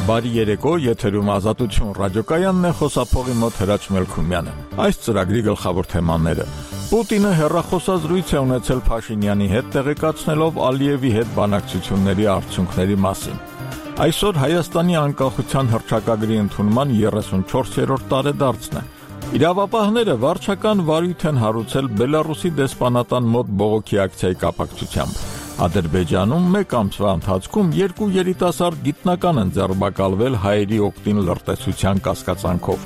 Բարի երեկո, եթերում Ազատություն ռադիոկայանն է, խոսափողի մոտ Հրաչ Մելքումյանը։ Այս ծրագրի գլխավոր թեմաները. Պուտինը հեռախոսազրույց է ունեցել Փաշինյանի հետ, տեղեկացնելով Ալիևի հետ բանակցությունների արդյունքների մասին։ Այսօր Հայաստանի անկախության հռչակագրի ընդունման 34-րդ տարեդարձն է։ Իրավապահները վարչական վարույթ են հարուցել Բելարուսի դեսպանատան մոտ բողոքի ակցիայի կապակցությամբ։ Ադրբեջանում մեկ ամսվա ընթացքում 2 երիտասարդ գիտնական են ձերբակալվել հայերի օգտին լրտեսության կասկածանքով։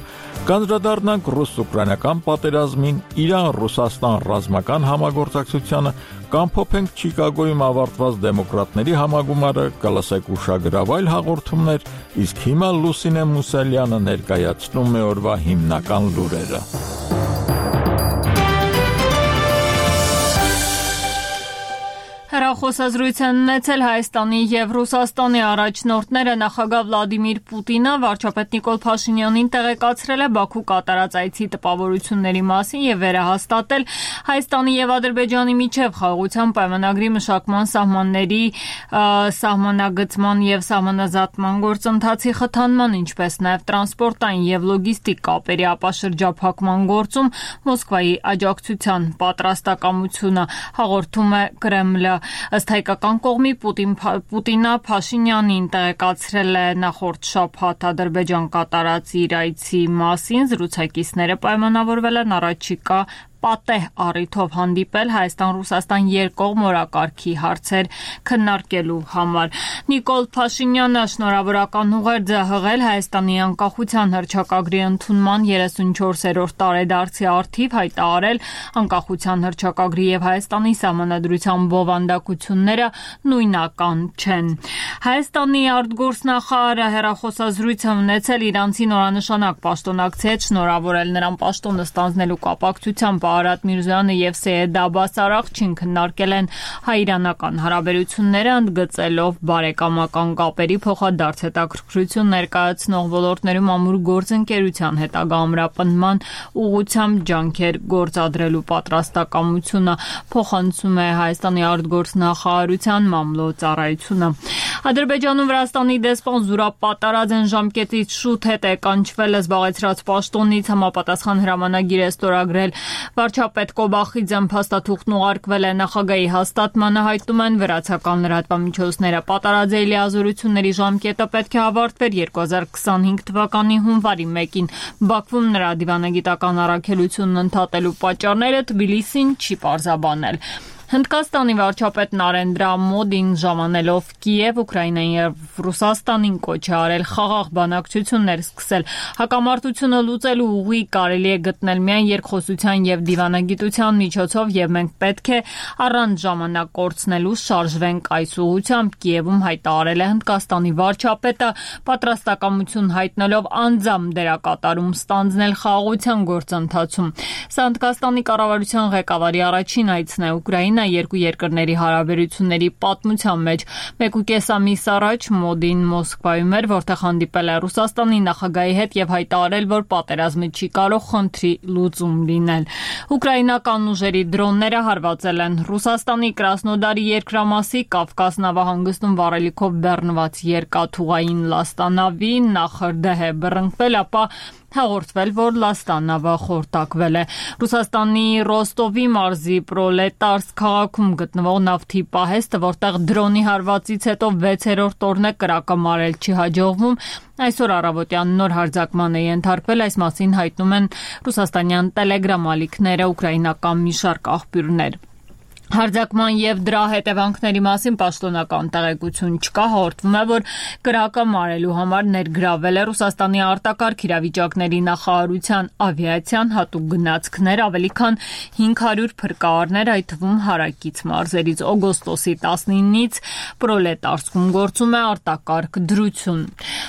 Կանդրադառնանք ռուս-ուկրաինական պատերազմին, Իրան-Ռուսաստան ռազմական համագործակցությանը, կամփոփենք Չիկագոյում ավարտված դեմոկրատների համագումարը, կլսեք ուշագրավ այլ հաղորդումներ, իսկ հիմա Լուսինե Մուսալյանը ներկայացնում է օրվա հիմնական լուրերը։ Հեռախոսազրույց են ունեցել Հայաստանի և Ռուսաստանի առաջնորդները, նախագահ Վլադիմիր Պուտինը վարչապետ Նիկոլ Փաշինյանին տեղեկացրել է Բաքու կատարած այցի տպավորությունների մասին և վերահաստատել Հայաստանի և Ադրբեջանի միջև խաղաղության պայմանագրի մշակման սահմանների սահմանագծման և սահմանազատման գործընթացի խթանման, ինչպես նաև տրանսպորտային և լոգիստիկ կապերի ապաշրջափակման գործում Մոսկվայի աջակցության պատրաստակամությունը, հաղորդում է Կրեմլը։ Ըստ հայկական կողմի Պուտինը Փաշինյանին տեղեկացրել է նախորդ շաբաթ Ադրբեջան կատարած իր այցի մասին, զրուցակիցները պայմանավորվել են առաջիկա պատեհ առիթով հանդիպել Հայաստան-Ռուսաստան երկկողմ օրակարգի հարցեր քննարկելու համար։ Նիկոլ Փաշինյանը շնորհավորական ուղերձ է հղել Հայաստանի անկախության հռչակագրի ընդունման 34-րդ տարեդարձի առթիվ, հայտարարել անկախության հռչակագրի և Հայաստանի սահմանադրության բովանդակությունները նույնական չեն։ Հայաստանի արտգործնախարարը հեռախոսազրույց է ունեցել իրանցի նորանշանակ պաշտոնակցի հետ, շնորհավորել նրան պաշտոնը ստանձնելու կապակցությամբ Արադ Միրզոյանը և Սեյեդ Աբբաս Արաղչին քննարկել են հայ-իրանական հարաբերությունները, ընդգծելով բարեկամական կապերի փոխադարձ հետաքրքրություն ներկայացնող ոլորտներում ամուր գործընկերության հետագա ամրապնդման ուղղությամբ ջանքեր գործադրելու պատրաստակամությունը, փոխանցում է Հայաստանի արտգործնախարարության մամլոյ-ծառայությունը։ Ադրբեջանում Վրաստանի դեսպան զուրապատարած են ժամկետից շուտ հետ է կանչվել զբաղեցրած պաշտոնից, համապատասխան հրամանագիր է ստորագրել վարչապետ Կոբախիձեն, փաստաթուղթն ուղարկվել է նախագահի հաստատմանը, հայտնում են վրացական լրատվամիջոցները։ Պատարաձեի լիազորությունների ժամկետը պետք է ավարտվեր 2025 թվականի հունվարի 1-ին։ Բաքվում նրա դիվանագիտական առաքելությունն ընդհատելու պատճառները Թբիլիսին չի պարզաբանել։ Հնդկաստանի վարչապետ Նարենդրա Մոդին ժամանելով Կիև, Ուկրաինային և Ռուսաստանին կոչ է արել խաղաղ բանակցություններ սկսել։ Հակամարտությունը լուծելու ուղի կարելի է գտնել միայն երկխոսության և դիվանագիտության միջոցով, և մենք պետք է առանց ժամանակ կորցնելու շարժվենք այս ուղղությամբ, Կիևում հայտարարել է Հնդկաստանի վարչապետը, պատրաստակամություն հայտնելով անձամբ դերակատարում ստանձնել խաղաղության գործընթացում։ Սա Հնդկաստանի կառավարության ղեկավարի առաջին այցն է Ուկրաինա երկու երկրների հարաբերությունների պատմության մեջ։ 1.5 ամիս առաջ Մոդին Մոսկվայում էր, որտեղ հանդիպել է Ռուսաստանի նախագահի հետ և հայտարարել, որ պատերազմը չի կարող խնդրի լուծում լինել։ Ուկրաինական ուժերի դրոնները հարվածել են Ռուսաստանի Կրասնոդարի երկրամասի Կավկաս նավահանգստում վառելիքով բեռնված երկաթուղային լաստանավի, նախրդեհ է բռնկվել, ապա հաղորդվել, որ լաստանավը խորտակվել է։ Ռուսաստանի Ռոստովի մարզի Պրոլետարսկ քաղաքում գտնվող նավթի պահեստը, որտեղ դրոնի հարվածից հետո 6-րդ օրն է կրակը մարել չի հաջողվում, այսօր առավոտյան նոր հարձակման է ենթարկվել, այս մասին հայտնում են ռուսաստանյան տելեգրամ ալիքները, ուկրաինական մի շարք աղբյուրներ։ Հարձակման և դրա հետևանքների մասին պաշտոնական տեղեկություն չկա, հաղորդվում է, որ կրակը մարելու համար ներգրավել է Ռուսաստանի արտակարգ իրավիճակների նախարարության ավիացիան հատուկ գնացքներ, ավելի քան 500 փրկարարներ, այդ թվում հարակից մարզերից։ Օգոստոսի 19-ից Պրոլետարսկում գործում է արտակարգ դրություն։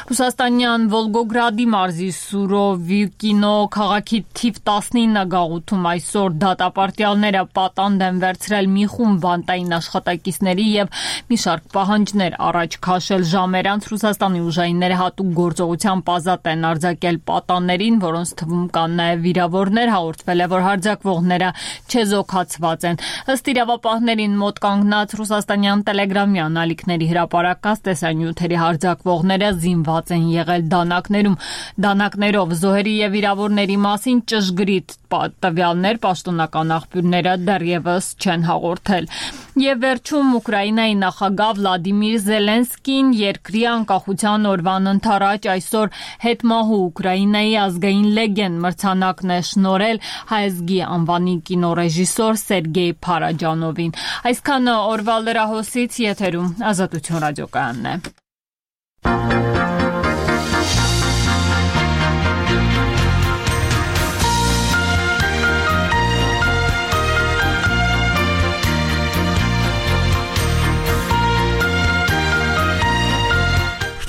Ռուսաստանյան Վոլգոգրադի մարզի Սուրովիկինո քաղաքի թիվ 19 գաղութում այսօր դատապարտյալները պատանդ են վերցրել մի խումբ բանտային աշխատակիցների եւ մի շարք պահանջներ առաջ քաշել ժամեր անց Ռուսաստանի ուժայինները հատուկ գործողությամբ ազատ են արձակել պատաններին, որոնց թվում կան նաեւ վիրավորներ, հաղորդվել է, որ հարձակվողները չեզոքացված են։ Ըստ իրավապահներին մոտ կանգնած ռուսաստանյան տելեգրամյան ալիքների հրապարակած տեսանյութերի հարձակվողները զինված են եղել դանակներով զոհերի եւ վիրավորների մասին ճշգրիտ տվյալներ պաշտոնական աղբյուրները դեռևս չեն հաղորդել։ Եվ վերջում Ուկրաինայի նախագահ Վլադիմիր Զելենսկին երկրի անկախության օրվան ընթառաջ այսօր հետմահու Ուկրաինայի ազգային լեգենդ մրցանակն է շնորհել հայազգի անվանի կինոռեժիսոր Սերգեյ Փարաջանովին։ Այսքանը օրվա լրահոսից, եթերում Ազատություն ռադիոկայանն է։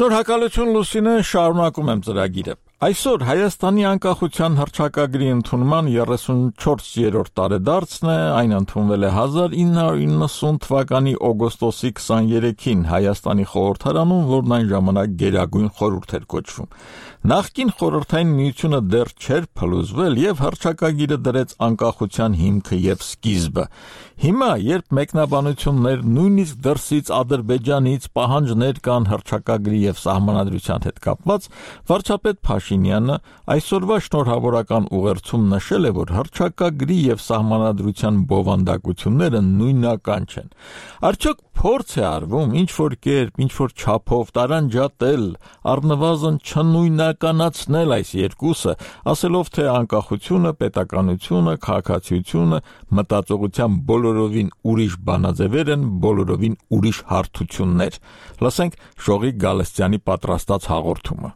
Շնորհակալություն Լուսինե, շարունակում եմ ծրագիրը։ Այսօր Հայաստանի անկախության հռչակագրի ընդունման 34-րդ տարեդարձն է, այն ընդունվել է 1990 թվականի օգոստոսի 23-ին Հայաստանի խորհրդարանում, որն այն ժամանակ Գերագույն խորհուրդ էր կոչվում։ Նախկին խորհրդային միությունը դեռ չէր փլուզվել եւ հռչակագիրը դրեց անկախության հիմքը եւ սկիզբը։ Հիմա, երբ մեկնաբանություններ նույնիսկ դրսից Ադրբեջանից պահանջներ կան հռչակագրի եւ սահմանադրության հետ կապված, վարչապետ Փաշինյանը այսօրվա շնորհավորական ուղերձում նշել է, որ հռչակագրի եւ սահմանադրության բովանդակությունները նույնական չեն։ Արդյոք փորձ է արվում ինչ-որ կերպ, ինչ-որ չափով տարանջատել, առնվազն չնույնականացնել այս երկուսը, ասելով թե անկախությունը, պետականությունը, քաղաքացիությունը մտածողության բոլորովին ուրիշ բանաձևեր են, բոլորովին ուրիշ հարթություններ։ Լսենք Շողիկ Գալստյանի պատրաստած հաղորդումը։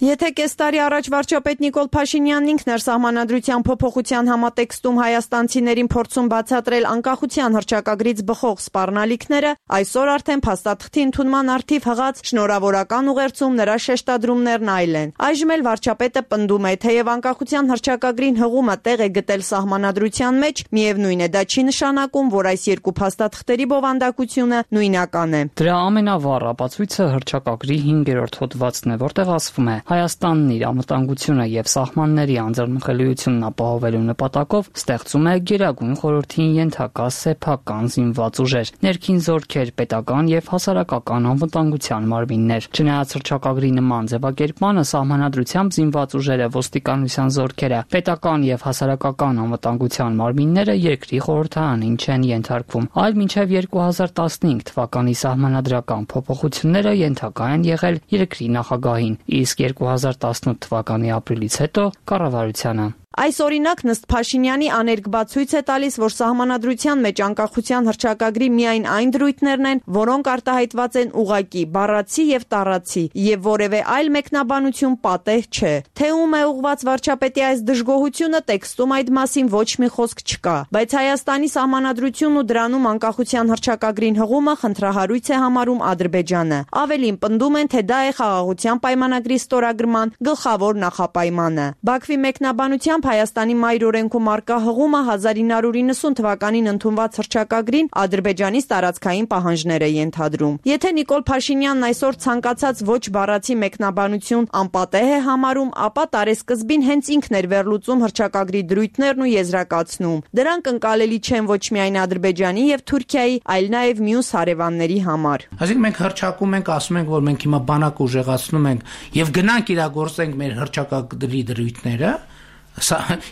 Եթե կես տարի առաջ վարչապետ Նիկոլ Փաշինյանն ինքն էր սահմանադրության փոփոխության համատեքստում հայաստանցիներին փորձում բացատրել անկախության հռչակագրից բխող սպառնալիքները, այսօր արդեն փաստաթղթի ընդունման առթիվ հղած շնորհավորական ուղերձում նրա շեշտադրումներն այլ են։ Այժմ էլ վարչապետը պնդում է, թեև անկախության հռչակագրին հղումը տեղ է գտել սահմանադրության մեջ, միևնույն է, դա չի նշանակում, որ այս երկու փաստաթղթերի բովանդակությունը նույնական է։ Դրա ամենավառ ապացույցը հռչակագրի 5-րդ հոդվածն է, որտեղ ասվում է. Հայաստանն իր անվտանգությունը եւ սահմանների անձեռնխելիությունն ապահովելու նպատակով ստեղծում է Գերագույն խորհրդին ենթակա սեփական զինված ուժեր, ներքին զորքեր, պետական եւ հասարակական անվտանգության մարմիններ։ Չնայած հռչակագրի նման ձևակերպմանը, սահմանադրությամբ զինված ուժերը, ոստիկանության զորքերը, պետական եւ հասարակական անվտանգության մարմինները երկրի խորհրդարանին չեն ենթարկվում, այլ մինչեւ 2015 թվականի սահմանադրական փոփոխությունները ենթակա են եղել երկրի նախագահին, իսկ 2018 թվականի ապրիլից հետո կառավարությանը։ Այս օրինակ ըստ Փաշինյանի աներկբացույց է տալիս, որ սահմանադրության մեջ անկախության հռչակագրի միայն այն դրույթներն են, որոնք արտահայտված են ուղղակի, բառացի եւ տառացի, եւ որևէ այլ մեկնաբանություն պատեհ չէ։ Թե ում է ուղղված վարչապետի այս դժգոհությունը, տեքստում այդ մասին ոչ մի խոսք չկա, բայց Հայաստանի սահմանադրությունն ու դրանում անկախության հռչակագրին հղումը խնդրահարույց է համարում Ադրբեջանը։ Ավելին, պնդում են, թե դա է խաղաղության պայմանագրի ստորագրման գլխավոր նախապայմանը։ Բաքվի մեկնաբանությամբ Հայաստանի մայր օրենքում արկա հղումը 1990 թվականին ընդունված հռչակագրին Ադրբեջանից տարածքային պահանջներ է ենթադրում։ Եթե Նիկոլ Փաշինյանն այսօր ցանկացած ոչ բառացի մեկնաբանություն անպատեհ է համարում, ապա տարեսկզբին հենց ինքն էր վերլուծում հռչակագրի դրույթներն ու եզրակացնում։ Դրանք ընկալելի չեն ոչ միայն Ադրբեջանի եւ Թուրքիայի, այլ նաեւ մյուս հարևանների համար։ Այսինքն մենք հռչակում ենք, ասում ենք, որ մենք հիմա բանակ ուժեղացնում ենք եւ գնանք իրագործենք մեր հռչակագրի դրույթները։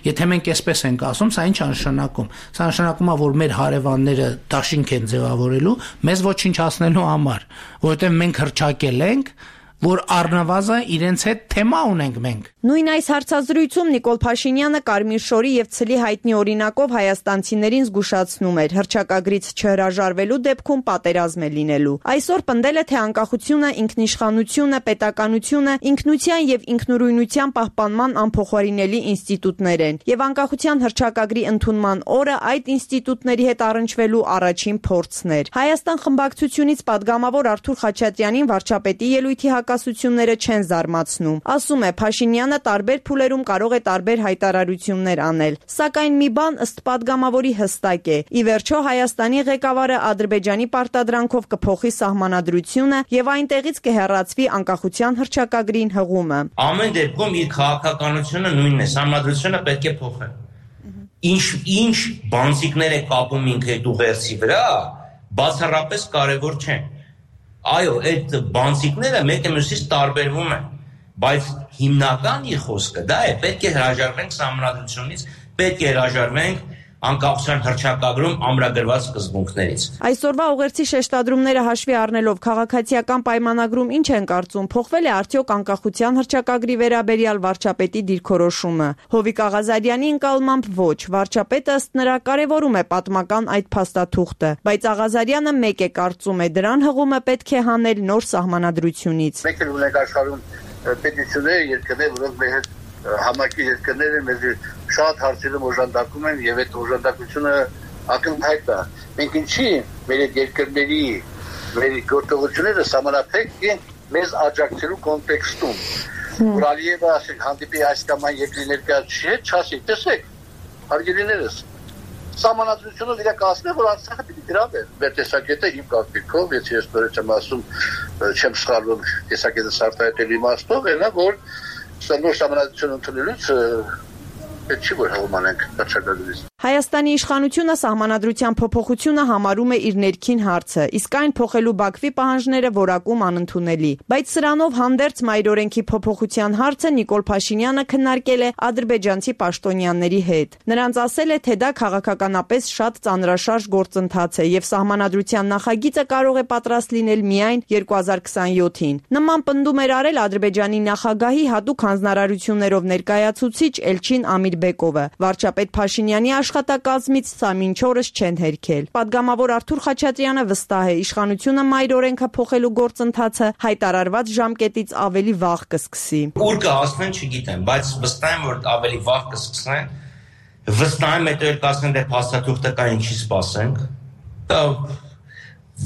Եթե մենք այսպես ենք ասում, սա ինչ նշանակում։ Սա նշանակում է, որ մեր հարևանները դաշինք են ձևավորելու մեզ ոչինչ հասնելու համար, որովհետև մենք հռչակել ենք, որ առնվազն իրենց հետ թեմա ունենք մենք։ Նույն այս հարցազրույցում Նիկոլ Փաշինյանը Կարմիր շորի եւ ցլի հայտնի օրինակով հայաստանցիներին զգուշացնում էր հռչակագրից չհրաժարվելու դեպքում պատերազմ է լինելու։ Այսօր պնդել է, թե անկախությունը, ինքնիշխանությունը, պետականությունը ինքնության եւ ինքնուրույնության պահպանման անփոխարինելի ինստիտուտներ են, եւ անկախության հռչակագրի ընդունման օրը այդ ինստիտուտների հետ առնչվելու առաջին փորձն էր։ Հայաստան խմբակցությունից պատգամավոր Արթուր Խաչատրյանին վարչապետի ելույթի պակասությունները չեն զարմացնում։ Ասում է, Փաշինյանը տարբեր փուլերում կարող է տարբեր հայտարարություններ անել, սակայն մի բան ըստ падգամավորի հստակ է. ի վերջո Հայաստանի ղեկավարը Ադրբեջանի պարտադրանքով կփոխի սահմանադրությունը եւ այնտեղից կհեռացվի անկախության հռչակագրին հղումը։ Ամեն դեպքում իր քաղաքականությունը նույնն է, սահմանադրությունը պետք է փոխել։ Ինչ բանցիկներ է կապում ինքը այդ ուղերձի վրա, բացառապես կարևոր չեն։ Այո, այդ բանցիկները մեկը մյուսից տարբերվում են, բայց հիմնական իր խոսքը դա է, պետք է հրաժարվենք սահմանադրությունից, պետք է հրաժարվենք անկախության հռչակագրում ամրագրված սկզբունքներից։ Այսօրվա ուղերձի շեշտադրումները հաշվի առնելով քաղաքացիական պայմանագրում ինչ են կարծում, փոխվել է արդյոք անկախության հռչակագրի վերաբերյալ վարչապետի դիրքորոշումը։ Հովիկ Աղազարյանի ընկալմամբ ոչ, վարչապետը ըստ նրա կարևորում է պատմական այդ փաստաթուղթը, բայց Աղազարյանը մեկ է կարծում է, դրան հղումը պետք է հանել նոր սահմանադրությունից։ Մեկ էլ ունենք աշխարհում պետությունները, երկրներ, որոնք մեր հետ համակի երկրները մեզ շատ հարցերում օժանդակում են եւ այդ օժանդակությունը ակնհայտ է։ Մենք ինչի մեր երկրների մեր գործողությունները սահմանափակ են մեզ աջակցելու կոնտեքստում։ Որ Ալիևը ասել հանդիպի այս կամ այն երկրի ներկայացուցիչ հետ չասի, տեսեք, հարգելիներս, սահմանադրությունը իրականացնել, որ Արցախը պիտի գրավեր։ Մեր տեսակետը իմ կարծիքով, եթե ես նորից եմ ասում, չեմ սխալվում, տեսակետը սարտահայտել իմաստով, այնա որ նոր սահմանադրություն ընդունելուց պետք չի որ հողմանենք հռչակագրից։ Հայաստանի իշխանությունը սահմանադրության փոփոխությունը համարում է իր ներքին հարցը, իսկ այն փոխելու Բաքվի պահանջները որակում անընդունելի։ Բայց սրանով հանդերձ մայրօրենքի փոփոխության հարցը Նիկոլ Փաշինյանը քննարկել է ադրբեջանցի պաշտոնյաների հետ։ Նրանց ասել է, թե դա քաղաքականապես շատ ծանրաշարժ գործընթաց է եւ սահմանադրության նախագիծը կարող է պատրաստ լինել միայն 2027-ին։ Նման պնդում էր արել Ադրբեջանի նախագահի հատուկ հանձնարարություններով ներկայացուցիչ Էլչին Ամիրբեկովը։ Վարչապետ Փաշինյանի աշխատակազմից սա մինչ օրս չեն հերքել։ Պատգամավոր Արթուր Խաչատրյանը վստահ է, իշխանությունը մայրօրենքը փոխելու գործընթացը հայտարարված ժամկետից ավելի վաղ կսկսի։ Ուր կհասնեն չգիտեմ, բայց վստահ եմ, որ ավելի վաղ կսկսեն։ Վստահ եմ, հետո կասեն, դե փաստաթուղթը կա, ինչի սպասենք։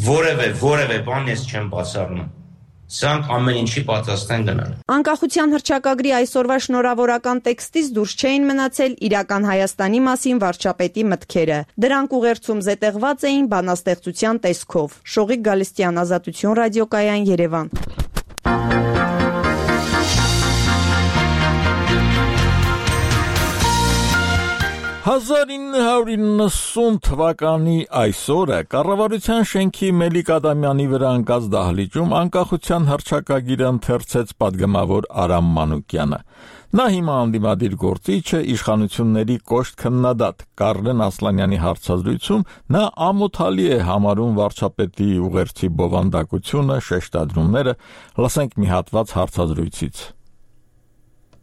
Որևէ բան ես չեմ բացառում։ Սրանք ամեն ինչի պատրաստ են գնալ։ Անկախության հռչակագրի այսօրվա շնորհավորական տեքստից դուրս չէին մնացել իրական Հայաստանի մասին վարչապետի մտքերը։ Դրանք ուղերձում զետեղված էին բանաստեղծության տեսքով։ Շողիկ Գալստյան, Ազատություն ռադիոկայան, Երևան։ 1990 թվականի այսօրը կառավարության շենքի Մելիք Ադամյանի վրա ընկած դահլիճում անկախության հռչակագիրը ընթերցեց պատգամավոր Արամ Մանուկյանը։ Նա հիմա անդիմադիր գործիչ է, իշխանությունների կոշտ քննադատ Կարլեն Ասլանյանի հարցազրույցում նա ամոթալի է համարում վարչապետի ուղերձի բովանդակությունը, շեշտադրումները, լսենք մի հատված հարցազրույցից։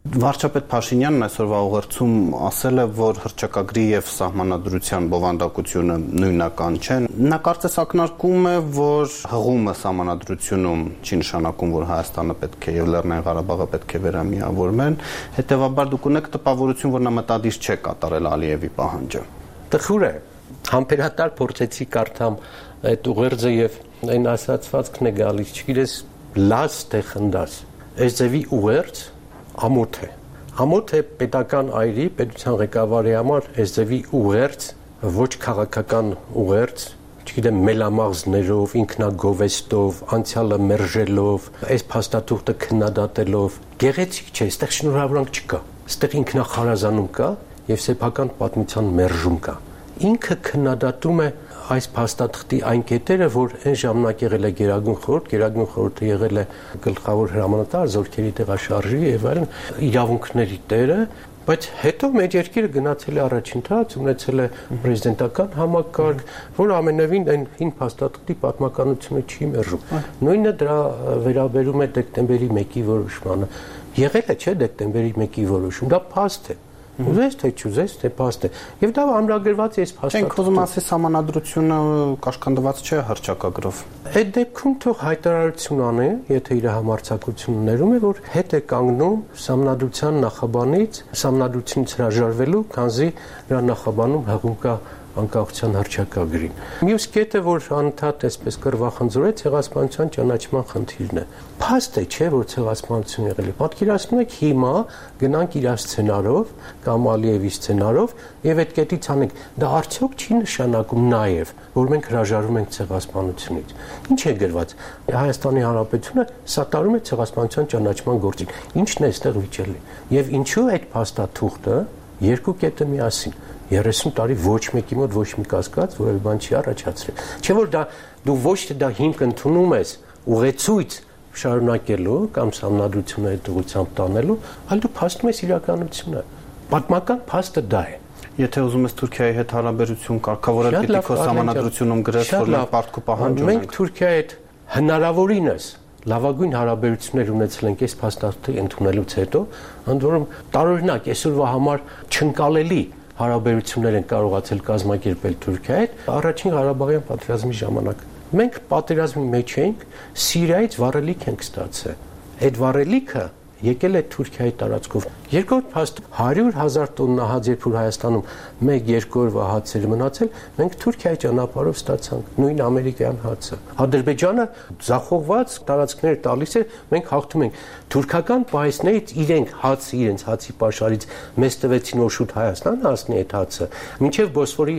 Վարչապետ Փաշինյանն այսօրվա ուղերձում ասել է, որ հռչակագրի եւ սահմանադրության բովանդակությունը նույնական չեն։ Նա կարծես ակնարկում է, որ հղումը սահմանադրությունում չի նշանակում, որ Հայաստանը պետք է եւ Լեռնային Ղարաբաղը պետք է վերամիավորվեն, հետեւաբար դուք ունեք տպավորություն, որ նա մտադիր չէ կատարել Ալիևի պահանջը։ Տխուր է, համբերատար փորձեցի կարդամ այդ ուղերձը եւ այն ասացվածքն է գալիս, չգիտես, լաց թե խնդաս։ Այս ձևի ուղերձ ամոթ է պետական այրի, պետության ղեկավարի համար այս ձևի ուղերձ, ոչ քաղաքական ուղերձ, չգիտեմ, մելամաղձներով, ինքնագովեստով, անցյալը մերժելով, այս փաստաթուղթը քննադատելով, գեղեցիկ չէ, այստեղ շնորհավորանք չկա, այստեղ ինքնախարազանում կա եւ սեփական պատմության մերժում կա։ Ինքը քննադատում է այս փաստաթղթի այն կետերը, որ այն ժամանակ եղել է Գերագույն խորհուրդը եղել է գլխավոր հրամանատար, զորքերի տեղաշարժի եւ այլն իրավունքների տերը, բայց հետո մեր երկիրը գնացել է առաջընթաց, ունեցել է պրեզիդենտական համակարգ, որ ամենևին այն հին փաստաթղթի պատմականությունը չի մերժում։ Նույնը դրա վերաբերում է դեկտեմբերի 1-ի որոշմանը։ Եղել է, չէ, դեկտեմբերի 1-ի որոշում, դա փաստ է։ Ուզես թե չուզես, թե փաստ է։ Եվ դա ամրագրված է այս փաստաթղթում։ Չենք ուզում ասի սահմանադրությունը կաշկանդված չէ հռչակագրով։ Այդ դեպքում թող հայտարարություն անի, եթե իր համարձակություններում է, որ հետ է կանգնում սահմանադրության նախաբանից, սահմանադրությունից հրաժարվելու, քանզի նրա նախաբանում հղում կա անկախության հռչակագրին։ Մյուս կետը, որ անընդհատ այսպես կռվախնձորեց, ցեղասպանության ճանաչման խնդիրն է։ Փաստ է, չէ, որ ցեղասպանություն եղել է։ Պատկերացնում եք հիմա գնանք իր սցենարով կամ Ալիևի սցենարով եւ այդ կետից անենք։ Դա արդյոք չի նշանակում նաեւ, որ մենք հրաժարվում ենք ցեղասպանությունից։ Ինչ է գրված։ Հայաստանի Հանրապետությունը սատարում է ցեղասպանության ճանաչման գործին։ Ինչն է այստեղ վիճելի։ Եվ ինչու այդ փաստաթուղթը երկու կետը միասին 30 տարի ոչ մեկի մոտ ոչ մի կասկած որևէ բան չի առաջացրել։ Չէ՞ որ դա դու ոչ թե դա հիմք ընդունում ես ուղեցույց շարունակելու կամ համանդրությունը այդ ուղղությամբ տանելու, այլ դու փաստում ես իրականությունը։ Պատմական փաստը դա է։ Եթե ուզում ես Թուրքիայի հետ հարաբերություն կարգավորել, պիտի քո համանդրությունում գրես, որ մենք պարտքու պահանջ ունենք։ Մենք Թուրքիայի հետ հնարավորինս լավագույն հարաբերություններ ունեցել ենք այս փաստաթղթի ընդունելուց հետո, ընդ որում տարօրինակ այսօրվա համար չընկալելի հարաբերություններ են կարողացել կազմակերպել Թուրքիայի հետ առաջին Ղարաբաղյան պատերազմի ժամանակ։ Մենք պատերազմի մեջ էինք, Սիրիայից վառելիք ենք ստացել։ Այդ վառելիքը եկել է Թուրքիայի տարածքով։ Երկրորդ փաստ 100,000 տոննա հաց երբ որ Հայաստանում 1-2 օրվա հացեր մնացել, մենք Թուրքիայի ճանապարհով ստացանք նույն ամերիկյան հացը։ Ադրբեջանը ձախողված տարածքներ տալիս է, մենք հաղթում ենք։ Թուրքական պահեստներից իրենց հացի պաշարից մեզ տվեցին որ շուտ Հայաստան հասնի այդ հացը։ Մինչև Բոսֆորի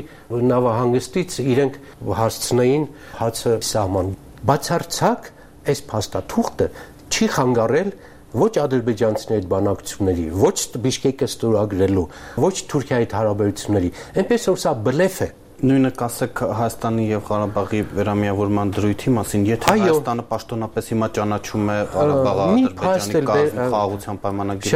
նավահանգստից իրենք հասցնեին հացը սահման։ Բացարձակ այս փաստաթուղթը չի խանգարել ոչ ադրբեջանցիների հետ բանակցությունների, ոչ Բիշկեկը ստորագրելու, ոչ Թուրքիայի հետ հարաբերությունների, այնպես որ սա բլեֆ է։ Նույնը կասեք Հայաստանի եւ Ղարաբաղի վերամիավորման դրույթի մասին, եթե Հայաստանը պաշտոնապես հիմա ճանաչում է Ղարաբաղը Ադրբեջանի խաղաղության պայմանագրի,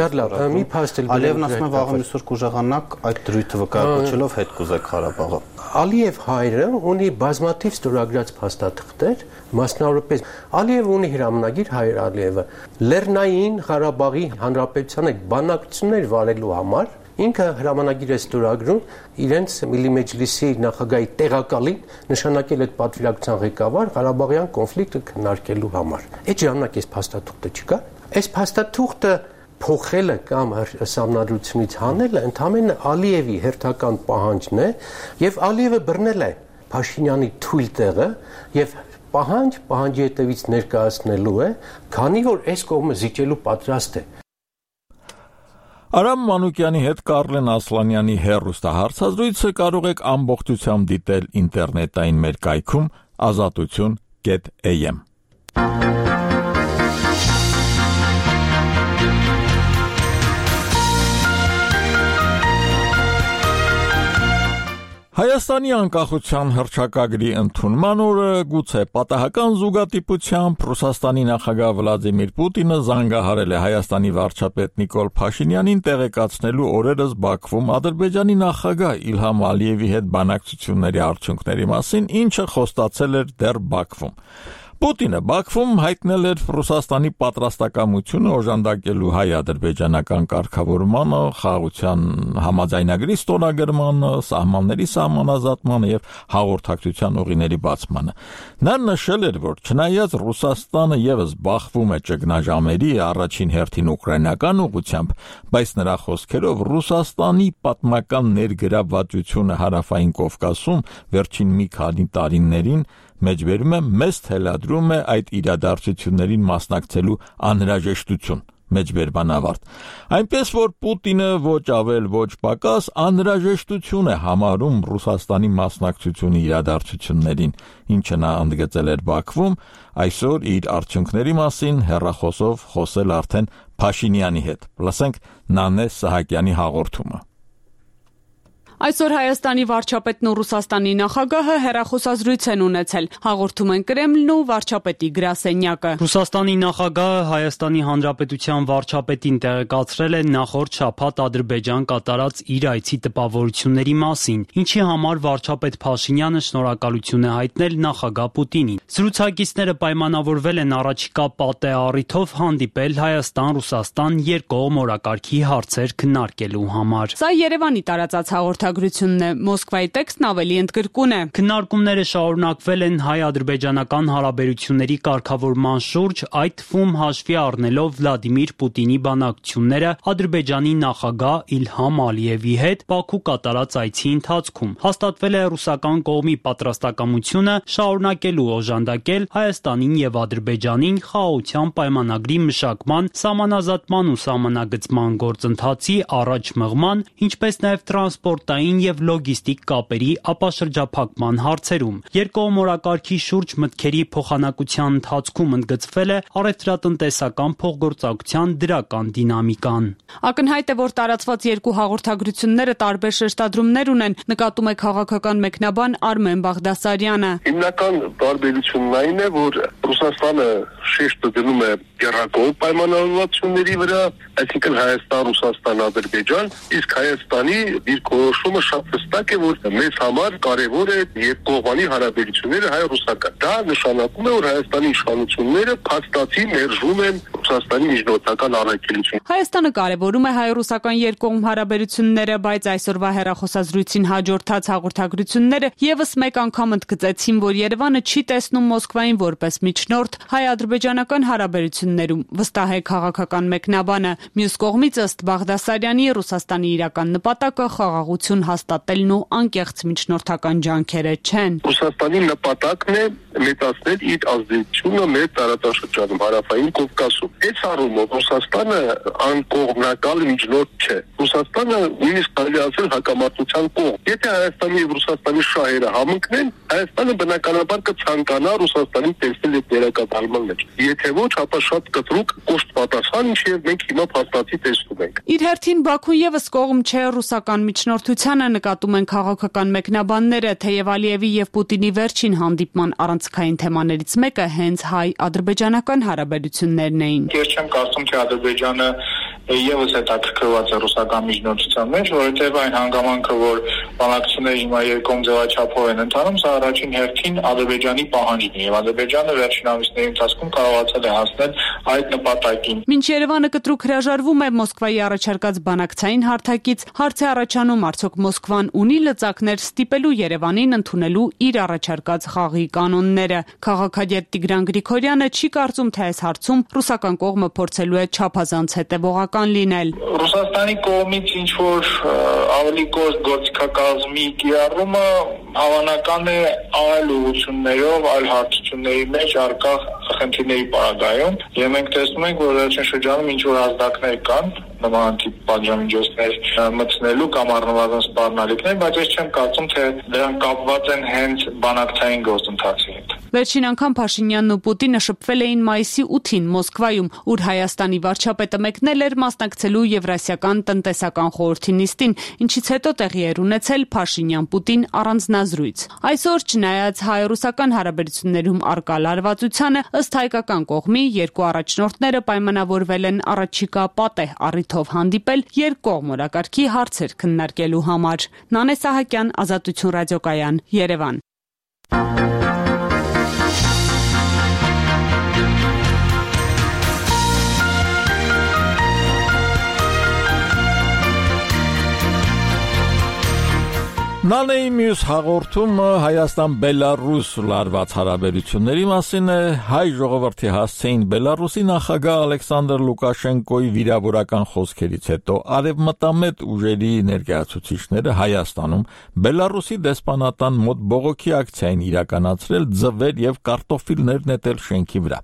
Ալիևն ասում է վաղը մյուսօր կուժեղանաք այդ դրույթը վկայակոչելով հետ կուզեք Ղարաբաղը։ Ալիև հայրը ունի բազմաթիվ ստորագրած փաստաթղթեր, մասնավորապես Ալիևը ունի հրամանագիր Հայր Ալիևը Լեռնային Ղարաբաղի Հանրապետության հետ բանակցություններ վարելու համար ինքը հրամանագիր է ստորագրում իրենց Միլի Մեջլիսի նախագահի տեղակալին նշանակել այդ պատվիրակության ղեկավար Ղարաբաղյան կոնֆլիկտը քննարկելու համար։ Այդ ժամանակ այս փաստաթուղթը չկա։ Այս փաստաթուղթը փոխելը կամ համանդրությունից հանելը ընդհանրապես Ալիևի հերթական պահանջն է եւ Ալիևը բռնել է Փաշինյանի թույլ տեղը եւ պահանջի հետևից ներկայացնելու է, քանի որ այս կողմը զիջելու պատրաստ է։ Արամ Մանուկյանի հետ Կարլեն Ասլանյանի հեռուստահարցազրույցը կարող եք ամբողջությամբ դիտել ինտերնետային մեր կայքում azatutun.am Հայաստանի անկախության հռչակագրի ընդունման օրը գուցե պատահական զուգատիպությամբ Ռուսաստանի նախագահ Վլադիմիր Պուտինը զանգահարել է Հայաստանի վարչապետ Նիկոլ Փաշինյանին տեղեկացնելու օրերս Բաքվում Ադրբեջանի նախագահ Իլհամ Ալիևի հետ բանակցությունների արդյունքների մասին, ինչը խոստացել էր դեռ Բաքվում։ Պուտինը Բաքվում հայտնել էր Ռուսաստանի պատրաստակամությունը օժանդակելու հայ-ադրբեջանական կարգավորմանը, խաղաղության համաձայնագրի ստորագրմանը, սահմանների սահմանազատմանը եւ հաղորդակցության ուղիների բացմանը։ Նա նշել էր, որ չնայած Ռուսաստանը եւս բախվում է ճգնաժամերի առաջին հերթին ուկրաինական ուղղությամբ, բայց նրա խոսքերով Ռուսաստանի պատմական ներգրավվածությունը հարավային Կովկասում վերջին մի քանի տարիներին մեջբերում է մեծ թելադրում է այդ իրադարձություններին մասնակցելու անհրաժեշտություն, մեջբերման ավարտ։ Այնպես որ Պուտինը ոչ ավել ոչ պակաս անհրաժեշտություն է համարում Ռուսաստանի մասնակցությունը իրադարձություններին, ինչը նա ընդգծել էր Բաքվում, այսօր իր արդյունքների մասին հեռախոսով խոսել արդեն Փաշինյանի հետ։ Լսենք Նանե Սահակյանի հաղորդումը։ Այսօր Հայաստանի վարչապետն ու Ռուսաստանի նախագահը հեռախոսազրույց են ունեցել, հաղորդում են Կրեմլն ու վարչապետի գրասենյակը։ Ռուսաստանի նախագահը Հայաստանի Հանրապետության վարչապետին տեղեկացրել է նախորդ շաբաթ Ադրբեջան կատարած իր այցի տպավորությունների մասին, ինչի համար վարչապետ Փաշինյանը շնորհակալություն է հայտնել նախագահ Պուտինին։ Զրուցակիցները պայմանավորվել են առաջիկա պատեհ առիթով հանդիպել Հայաստան-Ռուսաստան երկկողմ օրակարգի հարցեր քննարկելու համար։ Սա Երևանի տարածած հաղորդակցություն հաղորդագրությունն է։ Մոսկվայի տեքստն ավելի ընդգրկուն է։ Քննարկումները շարունակվել են հայ-ադրբեջանական հարաբերությունների կարգավորման շուրջ, այդ թվում հաշվի առնելով Վլադիմիր Պուտինի բանակցությունները Ադրբեջանի նախագահ Իլհամ Ալիևի հետ Բաքու կատարած այցի ընթացքում։ Հաստատվել է ռուսական կողմի պատրաստակամությունը շարունակելու օժանդակել Հայաստանին եւ Ադրբեջանին խաղաղության պայմանագրի մշակման, սահմանազատման ու սահմանագծման գործընթացի առաջ մղման, ինչպես նաեւ տրանսպորտային եւ լոգիստիկ կապերի ապաշրջափակման հարցերում։ Երկկողմ օրակարգի շուրջ մտքերի փոխանակության ընթացքում ընդգծվել է առևտրատնտեսական փոխգործակցության դրական դինամիկան։ Ակնհայտ է, որ տարածված երկու հաղորդագրությունները տարբեր շեշտադրումներ ունեն, նկատում է քաղաքական մեկնաբան Արմեն Բաղդասարյանը։ Հիմնական տարբերությունն այն է, որ Ռուսաստանը շեշտը դնում է եռակողմ պայմանավորվածությունների վրա, այսինքն Հայաստան, Ռուսաստան, Ադրբեջան, իսկ Հայաստանի դիրքորոշումը շատ հստակ է, որ մեզ համար կարևոր է երկկողմանի հարաբերությունները հայ-ռուսական։ Դա նշանակում է, որ Հայաստանի իշխանությունները փաստացի մերժում են Ռուսաստանի միջնորդական առաքելությունը։ Հայաստանը կարևորում է հայ-ռուսական երկկողմ հարաբերությունները, բայց այսօրվա հեռախոսազրույցին հաջորդած հաղորդագրությունները եւս մեկ անգամ ընդգծեցին, որ Երևանը չի տեսնում Մոսկվային որպես միջնորդ հայ-ադրբեջանական հարաբերություններում, վստահ է քաղաքական մեկնաբանը։ Մյուս կողմից ըստ Բաղդասարյանի Ռուսաստանի իրական նպատակը խաղաղություն հաստատելն ու անկեղծ միջնորդական ջանքերը չեն։ Ռուսաստանի նպատակն է մեծացնել իր ազդեցությունը մեր տարածաշրջանում, հարավային Կովկասում։ Այս առումով Ռուսաստանը անկողմնակալ միջնորդ չէ։ Ռուսաստանը նույնիսկ կարելի ասել հակամարտության կողմ։ Եթե Հայաստանի եւ Ռուսաստանի շահերը համընկնեն, Հայաստանը բնականաբար կցանկանա Ռուսաստանին տեսնել այդ դերակատարման մեջ։ Եթե ոչ, ապա շատ կտրուկ կոշտ պատասխան, ինչեւ մենք հիմա փաստացի տեսնում ենք։ Իր հերթին Բաքուն եւս կողմ չէ ռուսական միջնորդությանը, նկատում են քաղաքական մեկնաբանները, թեև Ալիևի եւ Պուտինի վերջին հանդիպման առանցքային թեմաներից մեկը հենց հայ-ադրբեջանական հարաբերություններն էին։ Ես չեմ կարծում, թե Ադրբեջանը եւս հետաքրքրված է ռուսական միջնորդության մեջ, որովհետեւ այն հանգամանքը, որ բանակցությունները հիմա երկկողմ ձևաչափով են ընթանում, սա առաջին հերթին Ադրբեջանի պահանջն է եւ Ադրբեջանը վերջին ամիսների ընթացքում կարողացել է հասնել այդ նպատակին։ Մինչ Երևանը կտրուկ հրաժարվում է Մոսկվայի առաջարկած բանակցային հարթակից, հարց է առաջանում, արդյոք Մոսկվան ունի լծակներ ստիպելու Երևանին ընդունելու իր առաջարկած խաղի կանոնները։ Քաղաքագետ Տիգրան Գրիգորյանը չի կարծում, թե այս հարցում ռուսական կողմը փորձելու է չափազանց հետևողական լինել։ Ռուսաստանի կողմից ինչ որ ավելի կոշտ գործիքակազմի կիրառումը հավանական է այլ ուղղություններով, այլ հարցությունների մեջ առկա խնդիրների պարագայում, եւ մենք տեսնում ենք, որ վերջին շրջանում ինչ որ ազդակներ կան նման տիպ պատժամիջոցներ մտցնելու կամ առնվազն սպառնալիքներ, բայց ես չեմ կարծում, թե դրանք կապված են հենց բանակցային գործընթացի հետ։ Վերջին անգամ Փաշինյանն ու Պուտինը շփվել էին մայիսի 8-ին Մոսկվայում, ուր Հայաստանի վարչապետը մեկնել էր մասնակցելու Եվրասիական տնտեսական խորհրդի նիստին, ինչից հետո տեղի էր ունեցել Փաշինյան-Պուտին առանձնազրույց։ Այսօր, չնայած հայ-ռուսական հարաբերություններում առկա լարվածությանը, ըստ հայկական կողմի երկու առաջնորդները պայմանավորվել են առաջիկա պատեհ առիթով հանդիպել երկկողմ օրակարգի հարցեր քննարկելու համար։ Նանե Սահակյան, Ազատություն ռադիոկայան, Երևան։ Նանեի մյուս հաղորդումը Հայաստան-Բելարուս լարված հարաբերությունների մասին է։ Հայ ժողովրդի հասցեին Բելարուսի նախագահ Ալեքսանդր Լուկաշենկոյի վիրավորական խոսքերից հետո արևմտամետ ուժերի ներկայացուցիչները Հայաստանում Բելարուսի դեսպանատան մոտ բողոքի ակցիա են իրականացրել ձվեր եւ կարտոֆիլներ նետել շենքի վրա։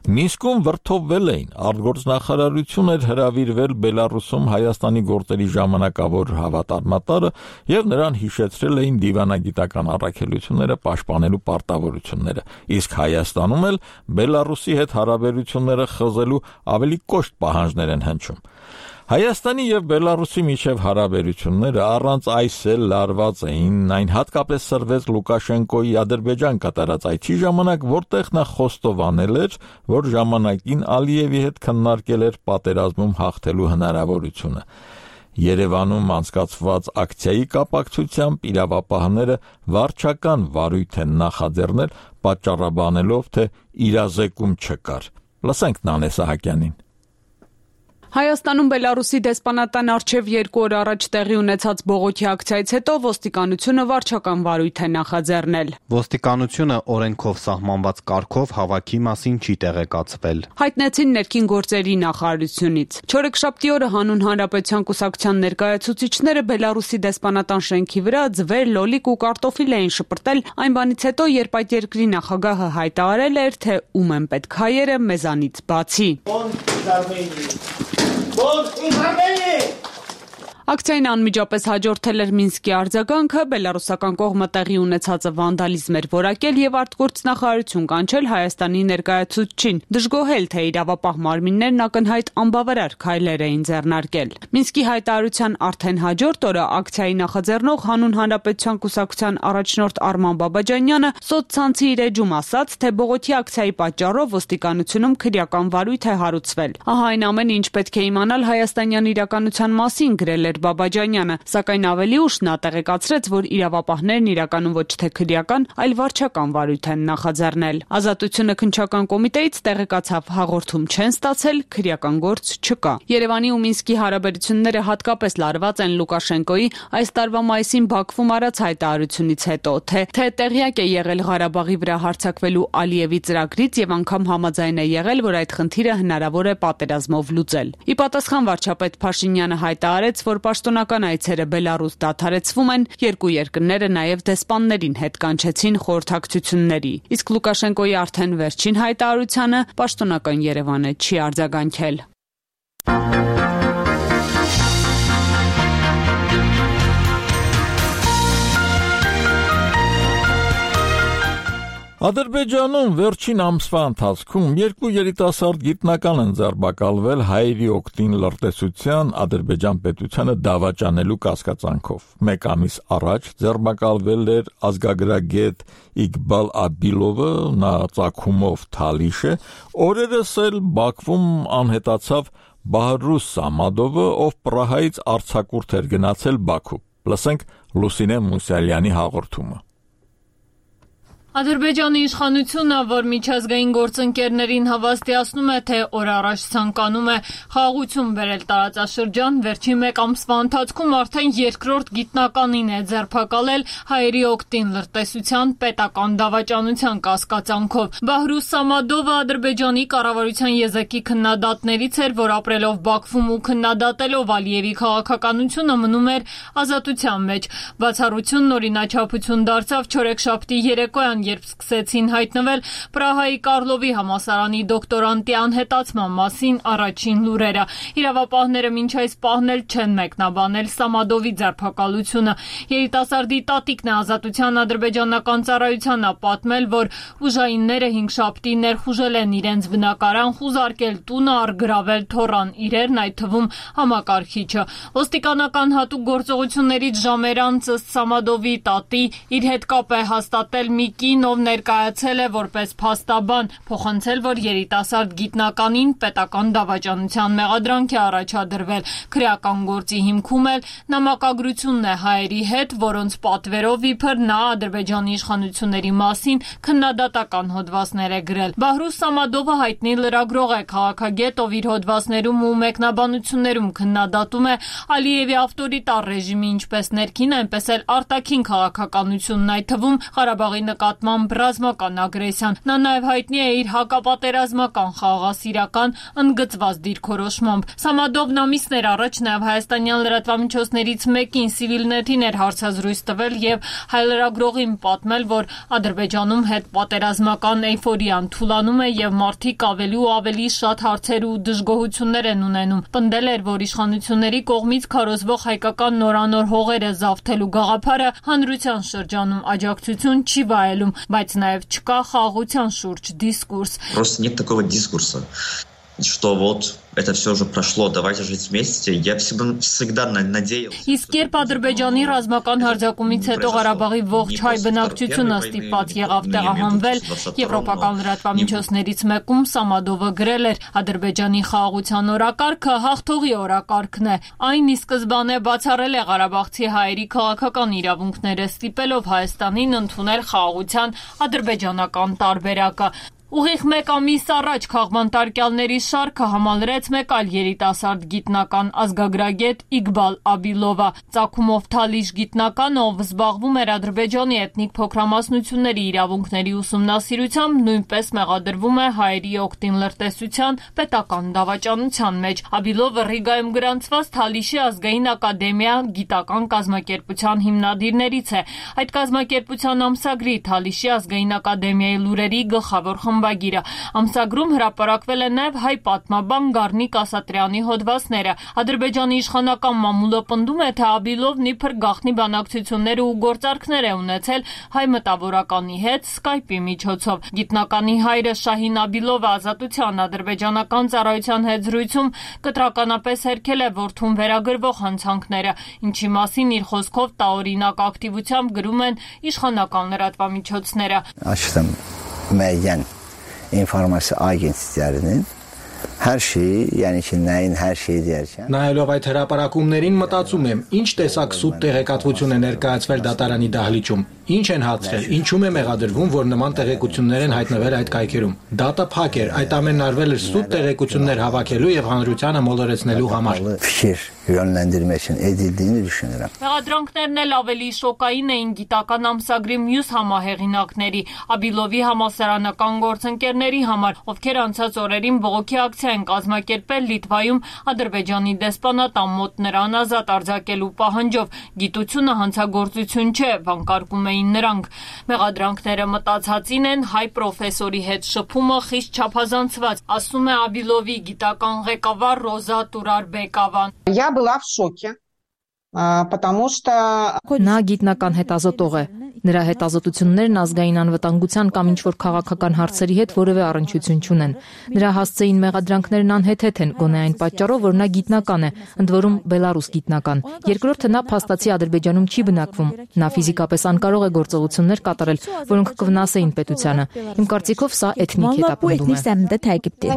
Մինսկում վրթովվել էին, արտգործնախարարություն էր հրավիրվել Բելարուսում Հայաստանի գործերի ժամանակավոր հավատարմատարը եւ նրան հիշեցրել էին դիվանագիտական առաքելությունները պաշտպանելու պարտավորությունները, իսկ Հայաստանում էլ Բելարուսի հետ հարաբերությունները խզելու ավելի կոշտ պահանջներ են հնչում։ Հայաստանի եւ Բելարուսի միջև հարաբերությունները առանց այս էլ լարված էին, այն հատկապես սրվեց Լուկաշենկոյի Ադրբեջան կատարած այցի ժամանակ, որտեղ նա խոստովանել էր, որ ժամանակին Ալիևի հետ քննարկել էր պատերազմում հաղթելու հնարավորությունը։ Երևանում անցկացված ակցիայի կապակցությամբ իրավապահները վարչական վարույթ են նախաձեռնել, պատճառաբանելով, թե իրազեկում չկար։ Լսենք Նանե Սահակյանին։ Հայաստանում Բելարուսի դեսպանատան առջև 2 օր առաջ տեղի ունեցած բողոքի ակցիայից հետո ոստիկանությունը վարչական վարույթ է նախաձեռնել։ Ոստիկանությունը օրենքով սահմանված կարգով հավաքի մասին չի տեղեկացվել։ Հայտնեցին ներքին գործերի նախարարությունից։ Չորեքշաբթի օրը Հանուն Հանրապետության կուսակցության ներկայացուցիչները Բելարուսի դեսպանատան շենքի վրա ձվեր, լոլիկ ու կարտոֆիլ էին շպրտել այն բանից հետո, երբ այդ երկրի նախագահը հայտարարել էր, թե ում են պետք հայերը մեզանից բացի։ Ակցիային անմիջապես հաջորդել էր Մինսկի արձագանքը, բելարուսական կողմը տեղի ունեցածը վանդալիզմ էր որակել եւ արտգործնախարարություն կանչել Հայաստանի ներկայացուցչին, դժգոհել, թե իրավապահ մարմիններն ակնհայտ անբավարար քայլեր էին ձեռնարկել։ Մինսկի հայտարարության արդեն հաջորդ օրը ակցիայի նախաձեռնող Հանուն Հանրապետության կուսակցության առաջնորդ Արման Բաբաջանյանը սոցցանցի իր էջում ասաց, թե բողոքի ակցիայի պատճառով ոստիկանությունում քրեական վարույթ է հարուցվել։ Ահա այն ամենը, ինչ պետք է իմանալ հայաստանյան իրականության մասին, գրել էր Բաբաջանյանը, սակայն ավելի ուշ նա տեղեկացրեց, որ իրավապահներն իրականում ոչ թե քրեական, այլ վարչական վարույթ են նախաձեռնել։ Ազատությունը քննչական կոմիտեից տեղեկացավ, հաղորդում չեն ստացել, քրեական գործ չկա։ Երևանի ու Մինսկի հարաբերությունները հատկապես լարված են Լուկաշենկոյի այս տարվա մայիսին Բաքվում արած հայտարարությունից հետո, թե տեղյակ է եղել Ղարաբաղի վրա հարձակվելու Ալիևի ծրագրից եւ անգամ համաձայն է եղել, որ այդ խնդիրը հնարավոր է պատերազմով լուծել։ Ի պատասխան վարչապետ Փաշինյանը հայտարարեց, որ պաշտոնական այցերը Բելարուս դադարեցվում են, երկու երկրները նաև դեսպաններին հետ կանչեցին խորհրդակցությունների։ Իսկ Լուկաշենկոյի արդեն վերջին հայտարարությանը պաշտոնական Երևանը չի արձագանքել։ Ադրբեջանում վերջին ամսվա ընթացքում 2 երիտասարդ գիտնական են ձերբակալվել հայերի օգտին լրտեսության Ադրբեջան պետությանը դավաճանելու կասկածանքով։ 1 ամիս առաջ ձերբակալվել էր ազգագրագետ Իգբալ Աբիլովը, նա ծագումով թալիշ է, օրերս էլ Բաքվում անհետացավ Բահրուս Սամադովը, ով Պրահայից արձակուրդ էր գնացել Բաքու։ Լսենք Լուսինե Մուսալյանի հաղորդումը։ Ադրբեջանի իշխանությունը, որ միջազգային գործընկերներին հավաստիացնում է, թե օր առաջ ցանկանում է խաղաղություն բերել տարածաշրջան, վերջին 1 ամսվա ընթացքում արդեն երկրորդ գիտնականին է ձերբակալել հայերի օգտին լրտեսության պետական դավաճանության կասկածանքով։ Բահրուս Սամադովը Ադրբեջանի կառավարության եզակի քննադատներից էր, որ ապրելով Բաքվում ու քննադատելով Ալիևի քաղաքականությունը մնում էր ազատության մեջ։ Բացառությունն օրինաչափություն դարձավ չորեքշաբթի երեկոյան, երբ սկսեցին հայտնվել Պրահայի Կարլովի համալսարանի դոկտորանտի անհետացման մասին առաջին լուրերը։ Իրավապահները մինչ այս պահն էլ չեն մեկնաբանել Սամադովի ձերբակալությունը։ Երիտասարդի տատիկն է Ազատության ադրբեջանական ծառայությանը պատմել, որ ուժայինները 5 շաբթի ներխուժել են իրենց բնակարան, խուզարկել տունը, առգրավել թոռան իրերն, այդ թվում համակարգիչը։ Ոստիկանական հատուկ գործողություններից ժամեր անց Սամադովի տատի իր հետ կապ է հաստատել մի ով ներկայացել է որպես փաստաբան, փոխանցել, որ երիտասարդ գիտնականին պետական դավաճանության մեղադրանք է առաջադրվել։ Քրեական գործի հիմքում էլ նամակագրությունն է հայերի հետ, որոնց պատվերով իբր նա Ադրբեջանի իշխանությունների մասին քննադատական հոդվածներ է գրել։ Բահրուս Սամադովը հայտնի լրագրող է, քաղաքագետ, ով իր հոդվածներում ու մեկնաբանություններում քննադատում է Ալիևի ավտորիտար ռեժիմի ինչպես ներքին, այնպես էլ արտաքին քաղաքականությունն, այդ թվում Ղարաբաղի նկատմամբ ռազմական ագրեսիան։ Նա նաև հայտնի է իր հակապատերազմական խաղաղասիրական ընդգծված դիրքորոշմամբ։ Սամադովն ամիսներ առաջ նաև հայաստանյան լրատվամիջոցներից մեկին Civilnet-ին էր հարցազրույց տվել եւ հայ լրագրողին պատմել, որ Ադրբեջանում հետպատերազմական էյֆորիան թուլանում է եւ մարդիկ ավելի ու ավելի շատ հարցեր ու դժգոհություններ են ունենում։ Պնդել էր, որ իշխանությունների կողմից քարոզվող հայկական նորանոր հողերը զավթելու գաղափարը հանրության շրջանում աջակցություն չի վայելում, բայց նաև չկա խաղաղության շուրջ դիսկուրս։ Просто нет такого дискурса, что вот это все уже прошло, давайте жить вместе. Я всегда надеялся. Իսկ երբ Ադրբեջանի ռազմական հարձակումից հետո Ղարաբաղի ողջ հայ բնակչությունը ստիպված եղավ տեղահանվել, եվրոպական լրատվամիջոցներից մեկում Սամադովը գրել էր. Ադրբեջանի խաղաղության օրակարգը հաղթողի օրակարգն է։ Այն ի սկզբանե բացառել է ղարաբաղցի հայերի քաղաքական իրավունքները, ստիպելով Հայաստանին ընդունել խաղաղության ադրբեջանական տարբերակը։ Ուղիղ 1 ամիս առաջ քաղբանտարկյալների շարքը համալրեց մեկ այլ երիտասարդ գիտնական ազգագրագետ Իգբալ Աբիլովը, ծագումով թալիշ գիտնական, ով զբաղվում էր Ադրբեջանի էթնիկ փոքրամասնությունների իրավունքների ուսումնասիրությամբ, նույնպես մեղադրվում է հայերի օգտին լրտեսության պետական դավաճանության մեջ։ Աբիլովը Ռիգայում գրանցված Թալիշի ազգային ակադեմիա գիտական կազմակերպության հիմնադիրներից է։ Այդ կազմակերպության ամսագրի Թալիշի ազգային ակադեմիայի լուրերի գլխավոր Ամսագրում հրապարակվել է նաև հայ պատմաբան Գառնիկ Ասատրյանի հոդվածները։ Ադրբեջանի իշխանական մամուլը պնդում է, թե Աբիլովն իբր գաղտնի բանակցություններ ու գործարքներ է ունեցել հայ մտավորականի հետ Skype-ի միջոցով։ Գիտնականի հայրը Շահին Աբիլովը Ազատության ադրբեջանական ծառայության հետ զրույցում կտրականապես հերքել է որդուն վերագրվող հանցանքները, ինչի մասին իր խոսքով տարօրինակ ակտիվությամբ գրում են իշխանական լրատվամիջոցները։ Müəyyən informasiya agentliklərinin hər şeyi, yəni ki, nəyin hər şeyi deyərkən Նայելով այդ հրապարակումներին մտածում եմ, ինչ տեսակ սուտ տեղեկատվություն է ներկայացվել դատարանի դահլիճում, ինչ են հացրել, ինչում է մեղադրվում, որ նման տեղեկություններ են հայտնվել այդ կայքերում։ Դատը փակ էր, այդ ամենն արվել էր սուտ տեղեկություններ հավաքելու եւ հանրությանը մոլորեցնելու համար։ Fikir yönləndirmək üçün edildiyini düşünürəm։ Մեղադրանքներն էլ ավելի շոկային էին գիտական ամսագրի մյուս համահեղինակների, Աբիլովի համալսարանական գործընկերների համար, ովքեր անցած օրերին բողոքի ակցիա են կազմակերպել Լիտվայում Ադրբեջանի դեսպանատան մոտ նրան ազատ արձակելու պահանջով։ Գիտությունը հանցագործություն չէ, վանկարկում էին նրանք։ Մեղադրանքները մտածածին են, հայ պրոֆեսորի հետ շփումը խիստ չափազանցված, ասում է Աբիլովի գիտական ղեկավար Ռոզա Տուրարբեկավան։ Я была в шоке, потому что Նա գիտնական հետազոտող է։ Նրա հետազոտություններն ազգային անվտանգության կամ ինչ-որ քաղաքական հարցերի հետ որևէ առնչություն չունեն։ Նրա հասցեին մեղադրանքներն անհեթեթ են, գոնե այն պատճառով, որ նա գիտնական է, ընդ որում բելարուս գիտնական։ Երկրորդը նա փաստացի Ադրբեջանում չի բնակվում։ Նա ֆիզիկապես անկարող է գործողություններ կատարել, որոնք կվնասեին պետությանը։ Իմ կարծիքով սա էթնիկ հետապնդում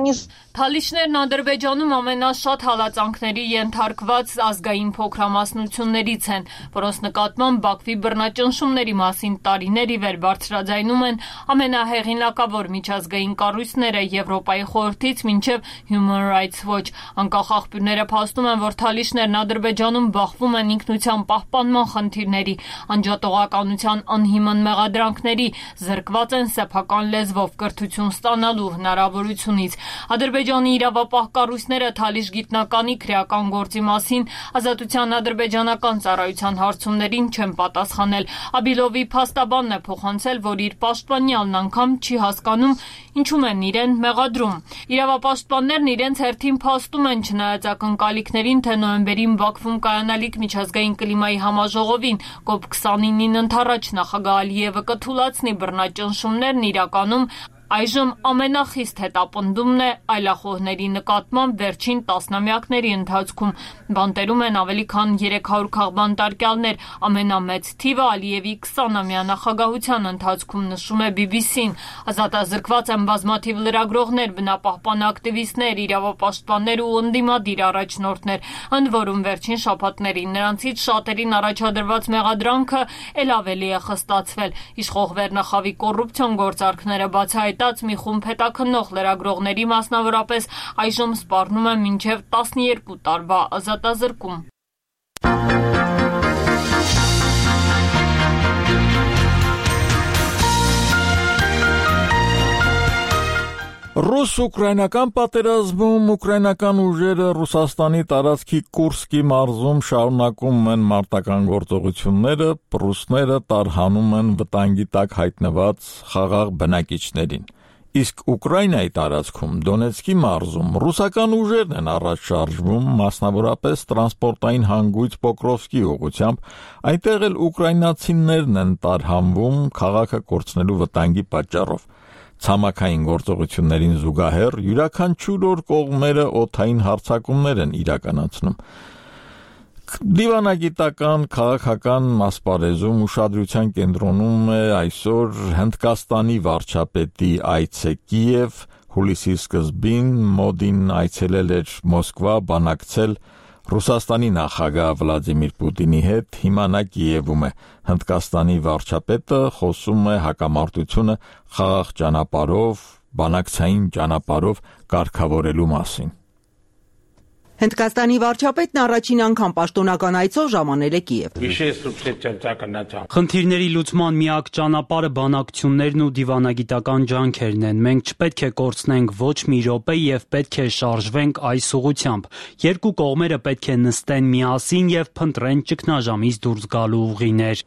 է։ Թալիշներն Ադրբեջանում ամենաշատ հալածանքների ենթարկված ազգային փոքրամասնություններից են, որոնց նկատմամբ Բաքվի բռնաճնշումների մասին տարիներ ի վեր բարձրաձայնում են ամենահեղինակավոր միջազգային կառույցները Եվրոպայի խորհրդից մինչև Human Rights Watch։ Անկախ աղբյուրները փաստում են, որ թալիշներն Ադրբեջանում բախվում են ինքնության պահպանման խնդիրների, անջատողականության անհիմն մեղադրանքների, զրկված են սեփական լեզվով կրթություն ստանալու հնարավորությունից։ Ադրբեջանի իրավապահ կառույցները Թալիշ գիտնականի քրեական գործի մասին Ազատության ադրբեջանական ծառայության հարցումներին չեն պատասխանել։ Աբիլովի փաստաբանն է փոխանցել, որ իր պաշտպանյալն անգամ չի հասկանում, ինչում են իրեն մեղադրում։ Իրավապաշտպաններն իրենց հերթին փաստում են, չնայած ակնկալիքներին, թե նոյեմբերին Բաքվում կայանալիք միջազգային կլիմայի համաժողովին COP29-ին ընթառաջ նախագահ Ալիևը կթուլացնի բռնաճնշումներն իրականում այժմ ամենախիստ հետապնդումն է այլախոհների նկատմամբ վերջին տասնամյակների ընթացքում։ Բանտերում են ավելի քան 300 քաղբանտարկյալներ, ամենամեծ թիվը Ալիևի 20-ամյա նախագահության ընթացքում, նշում է BBC-ն։ Ազատազրկված են բազմաթիվ լրագրողներ, բնապահպան ակտիվիստներ, իրավապաշտպաններ ու ընդդիմադիր առաջնորդներ, ընդ որում վերջին շաբաթներին նրանցից շատերին առաջադրված մեղադրանքը ել ավելի է խստացվել։ Իշխող վերնախավի կոռուպցիոն գործարքները բացահայտած մի խումբ հետաքննող լրագրողների մասնավորապես այժմ սպառնում է մինչև 12 տարվա ազատազրկում։ Ռուս-ուկրաինական պատերազմում ուկրաինական ուժերը Ռուսաստանի տարածքի Կուրսկի մարզում շարունակում են մարտական գործողությունները, ռուսները տարհանում են վտանգի տակ հայտնված խաղաղ բնակիչներին։ Իսկ Ուկրաինայի տարածքում Դոնեցկի մարզում ռուսական ուժերն են առաջ շարժվում, մասնավորապես տրանսպորտային հանգույց Պոկրովսկի ուղղությամբ, այնտեղ էլ ուկրաինացիներն են տարհանվում քաղաքը կորցնելու վտանգի պատճառով։ Ցամաքային գործողություններին զուգահեռ յուրաքանչյուր օր կողմերը օդային հարձակումներ են իրականացնում։ Դիվանագիտական քաղաքական ասպարեզում ուշադրության կենտրոնում է այսօր Հնդկաստանի վարչապետի այցը Կիև, հուլիսի սկզբին Մոդին այցելել էր Մոսկվա, բանակցել Ռուսաստանի նախագահ Վլադիմիր Պուտինի հետ, հիմա նա Կիևում է։ Հնդկաստանի վարչապետը խոսում է հակամարտությունը խաղաղ ճանապարհով բանակցային ճանապարհով կարգավորելու մասին։ Հնդկաստանի վարչապետն առաջին անգամ պաշտոնական այցով ժամանել է Կիև։ Խնդիրների լուծման միակ ճանապարհը բանակցություններն ու դիվանագիտական ջանքերն են։ Մենք չպետք է կորցնենք ոչ մի րոպե եւ պետք է շարժվենք այս ուղղությամբ։ Երկու կողմերը պետք է նստեն միասին եւ փնտրեն ճգնաժամից դուրս գալու ուղիներ։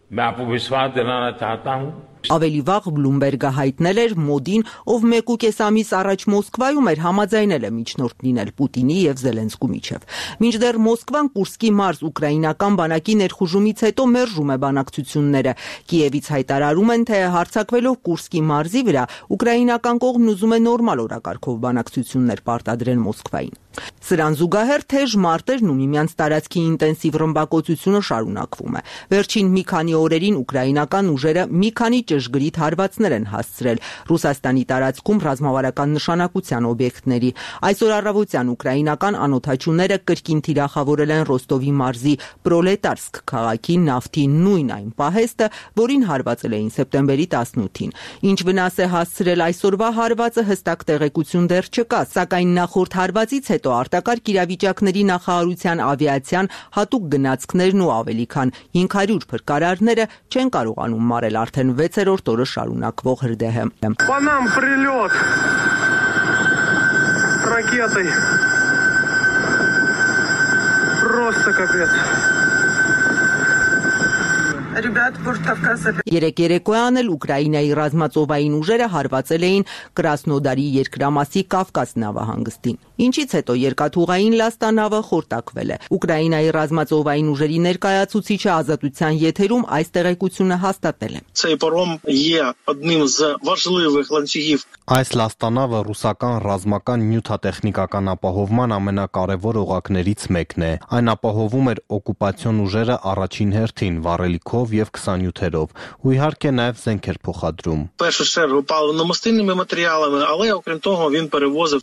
Ավելի վաղ Բլումբերգը հայտնել էր Մոդին, ով 1.5 ամիս առաջ Մոսկվայում էր, համաձայնել է միջնորդ լինել Պուտինի եւ Զելենսկու միջև։ Մինչդեռ Մոսկվան Կուրսկի մարզ ուկրաինական բանակի ներխուժումից հետո մերժում է բանակցությունները։ Կիևից հայտարարում են, թե հարձակվելով Կուրսկի մարզի վրա, ուկրաինական կողմն ուզում է նորմալ օրակարգով բանակցություններ պարտադրել Մոսկվային։ Սրան զուգահեռ թեժ մարտերն ու միմյանց տարածքի ինտենսիվ ռմբակոծությունը շարունակվում է։ Վերջին մի քանի օրերին ուկրաինական ուժերը մի քանի ճշգրիտ հարվածներ են հասցրել Ռուսաստանի տարածքում ռազմավարական նշանակության օբյեկտների։ Այսօր առավոտյան ուկրաինական անօդաչուները կրկին թիրախավորել են Ռոստովի մարզի Պրոլետարսկ քաղաքի նավթի նույն այն պահեստը, որին հարվածել էին սեպտեմբերի 18-ին։ Ինչ վնաս է հասցրել այսօրվա հարվածը հստակ տեղեկություն դեռ չկա, սակայն նախորդ հարվածից հետո արտակարգ իրավիճակների նախարարության ավիացիան հատուկ գնացքներն ու ավելի քան 500 փրկարարները չեն կարողանում մարել արդեն 6-րդ օրը շարունակվող հրդեհը։ По нам прилет ракетой. Просто капец. Երեք երեկոյան էլ Ուկրաինայի ռազմածովային ուժերը հարվածել էին Կրասնոդարի երկրամասի Կավկաս նավահանգստին, ինչից հետո երկաթուղային լաստանավը խորտակվել է։ Ուկրաինայի ռազմածովային ուժերի ներկայացուցիչը Ազատության եթերում այս տեղեկությունը հաստատել է։ Այս լաստանավը ռուսական ռազմական նյութատեխնիկական ապահովման ամենակարևոր օղակներից մեկն է։ Այն ապահովում էր օկուպացիոն ուժերը առաջին հերթին վառելիքով եւ 27-երով, ու իհարկե նաեւ զենքեր փոխադրում։